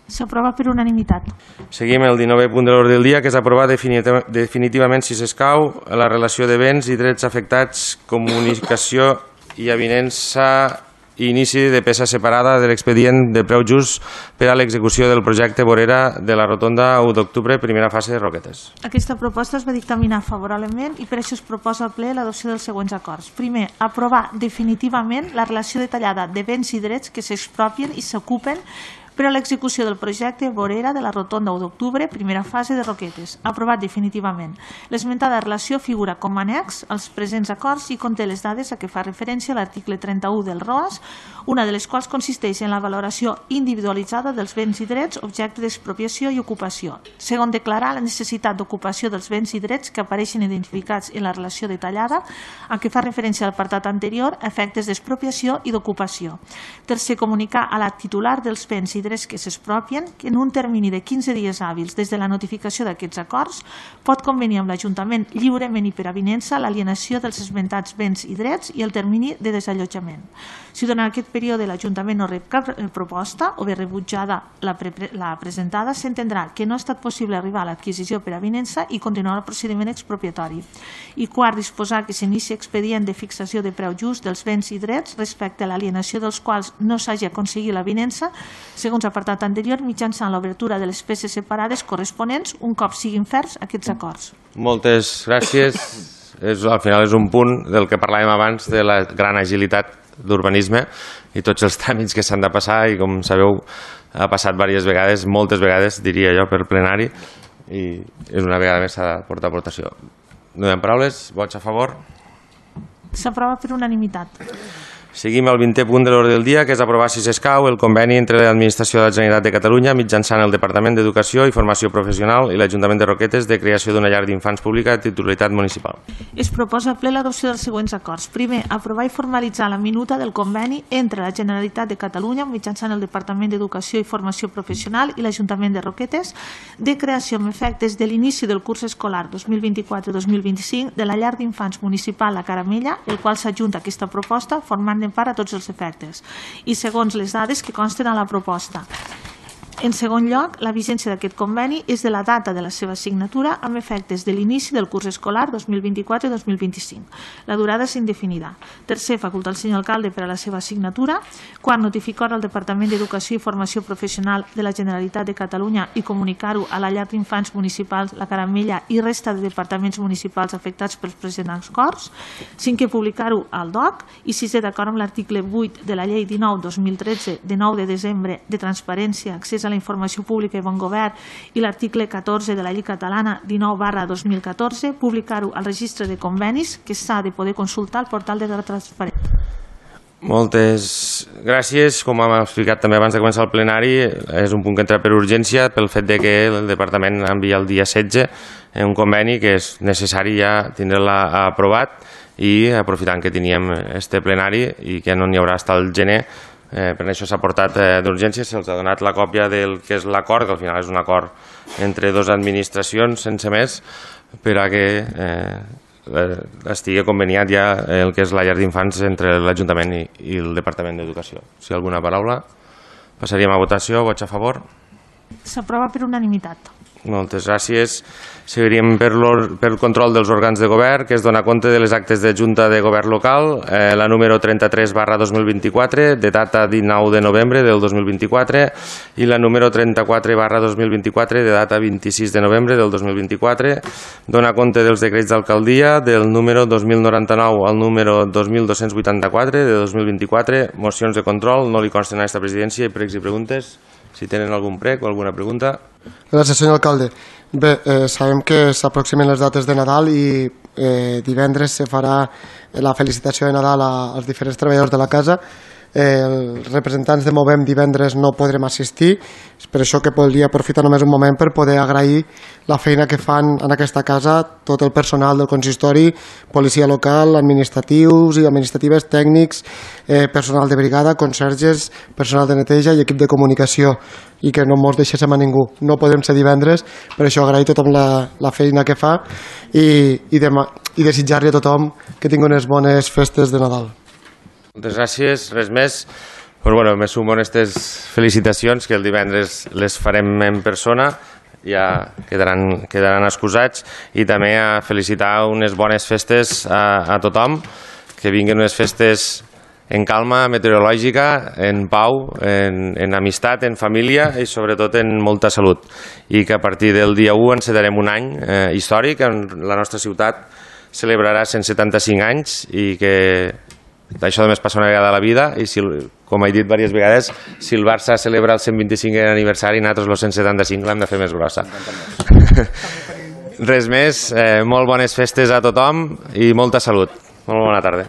S'aprova per unanimitat. Seguim el dinovè punt de l'ordre del dia, que és aprovar definitivament, si s'escau, la relació de béns i drets afectats, comunicació i avinença i inici de peça separada de l'expedient de preu just per a l'execució del projecte vorera de la rotonda u d'octubre, primera fase de Roquetes. Aquesta proposta es va dictaminar favorablement i per això es proposa al ple l'adopció dels següents acords. Primer, aprovar definitivament la relació detallada de béns i drets que s'expropien i s'ocupen per a l'execució del projecte vorera de la rotonda u d'octubre, primera fase de Roquetes, aprovat definitivament. L'esmentada relació figura com a annex als presents acords i conté les dades a què fa referència l'article trenta-u del R O A S, una de les quals consisteix en la valoració individualitzada dels béns i drets objecte d'expropiació i ocupació. Segon, declarar la necessitat d'ocupació dels béns i drets que apareixen identificats en la relació detallada a què fa referència a l'apartat anterior a efectes d'expropiació i d'ocupació. Tercer, comunicar a la titular dels béns i drets que s'expropien que en un termini de quinze dies hàbils des de la notificació d'aquests acords pot convenir amb l'Ajuntament lliurement i per avinença l'alienació dels esmentats béns i drets i el termini de desallotjament. Si durant aquest període l'Ajuntament no rep cap proposta o bé rebutjada la, pre la presentada, s'entendrà que no ha estat possible arribar a l'adquisició per avinença i continuar el procediment expropiatori. I quart, disposar que s'inici expedient de fixació de preu just dels béns i drets respecte a l'alienació dels quals no s'hagi aconseguit l'avinença, segons apartat anterior, mitjançant l'obertura de les peces separades corresponents un cop siguin ferms aquests acords. Moltes gràcies. És, al final és un punt del que parlàvem abans de la gran agilitat d'urbanisme i tots els tràmits que s'han de passar i, com sabeu, ha passat diverses vegades, moltes vegades, diria jo, per plenari, i és una vegada més s'ha de portar aportació. No hi ha paraules, vots a favor. S'aprova per unanimitat. Seguim al vintè punt de l'ordre del dia, que és aprovar, si s'escau, el conveni entre l'Administració de la Generalitat de Catalunya mitjançant el Departament d'Educació i Formació Professional i l'Ajuntament de Roquetes de creació d'una llar d'infants pública de titularitat municipal. Es proposa al ple l'adopció dels següents acords. Primer, aprovar i formalitzar la minuta del conveni entre la Generalitat de Catalunya mitjançant el Departament d'Educació i Formació Professional i l'Ajuntament de Roquetes de creació amb efectes de l'inici del curs escolar dos mil vint-i-quatre dos mil vint-i-cinc de la llar d'infants municipal La Caramella, el qual s'adjunta a aquesta proposta formant part a tots els efectes i segons les dades que consten a la proposta. En segon lloc, la vigència d'aquest conveni és de la data de la seva signatura amb efectes de l'inici del curs escolar dos mil vint-i-quatre dos mil vint-i-cinc. La durada és indefinida. Tercer, facultar al senyor alcalde per a la seva signatura. Quart, notificar al Departament d'Educació i Formació Professional de la Generalitat de Catalunya i comunicar-ho a la llar d'infants municipals La Caramella i resta de departaments municipals afectats pels presents acords. Cinquè, publicar-ho al D O C. I sisè, d'acord amb l'article vuit de la llei dinou dos mil tretze de nou de desembre de transparència, accés a la informació pública i bon govern i l'article catorze de la llei catalana dinou barra dos mil catorze, publicar-ho al registre de convenis que s'ha de poder consultar al portal de la transparència. Moltes gràcies. Com hem explicat també abans de començar el plenari, és un punt que entra per urgència pel fet de que el Departament envia el dia setze un conveni que és necessari ja tindre-la aprovat i aprofitant que teníem este plenari i que no n'hi haurà fins al gener. Eh, per això s'ha portat eh, d'urgència, se'ls ha donat la còpia del que és l'acord, que al final és un acord entre dues administracions sense més, per a que eh, estigui conveniat ja el que és la llar d'infants entre l'Ajuntament i, i el Departament d'Educació. Si hi ha alguna paraula, passaríem a votació. Vots a favor? S'aprova per unanimitat. Moltes gràcies. Seguiríem per, per el control dels òrgans de govern, que es dona compte de les actes de Junta de Govern Local, eh, la número trenta-tres barra dos mil vint-i-quatre, de data dinou de novembre del dos mil vint-i-quatre, i la número trenta-quatre barra dos mil vint-i-quatre, de data vint-i-sis de novembre del dos mil vint-i-quatre. Dona compte dels decrets d'alcaldia, del número dos mil noranta-nou al número dos mil dos-cents vuitanta-quatre de dos mil vint-i-quatre. Mocions de control, no li consten a aquesta presidència, i pregs i preguntes. Si tenen algun prec o alguna pregunta. Gràcies, senyor alcalde. Bé, eh, sabem que s'aproximen les dates de Nadal i eh, divendres se farà la felicitació de Nadal als diferents treballadors de la casa. Eh, els representants de Movem divendres no podrem assistir, és per això que volia aprofitar només un moment per poder agrair la feina que fan en aquesta casa tot el personal del consistori, policia local, administratius i administratives, tècnics, eh, personal de brigada, conserges, personal de neteja i equip de comunicació, i que no ens deixéssim a ningú. No podem ser divendres, per això agrair a tothom la, la feina que fa i, i, demà, i desitjar-li a tothom que tingui unes bones festes de Nadal. Moltes gràcies, res més. Però, bueno, me sumo a aquestes felicitacions, que el divendres les farem en persona, ja quedaran, quedaran excusats, i també a felicitar unes bones festes a, a tothom, que vinguin unes festes en calma meteorològica, en pau, en, en amistat, en família i sobretot en molta salut. I que a partir del dia u encetarem un any eh, històric, on la nostra ciutat celebrarà cent setanta-cinc anys, i que això només passa una vegada a la vida, i si, com he dit diverses vegades, si el Barça celebra el cent vint-i-cinquè aniversari, nosaltres el cent setanta-cinc l'hem de fer més grossa. Res més, eh, molt bones festes a tothom i molta salut. Molt bona tarda.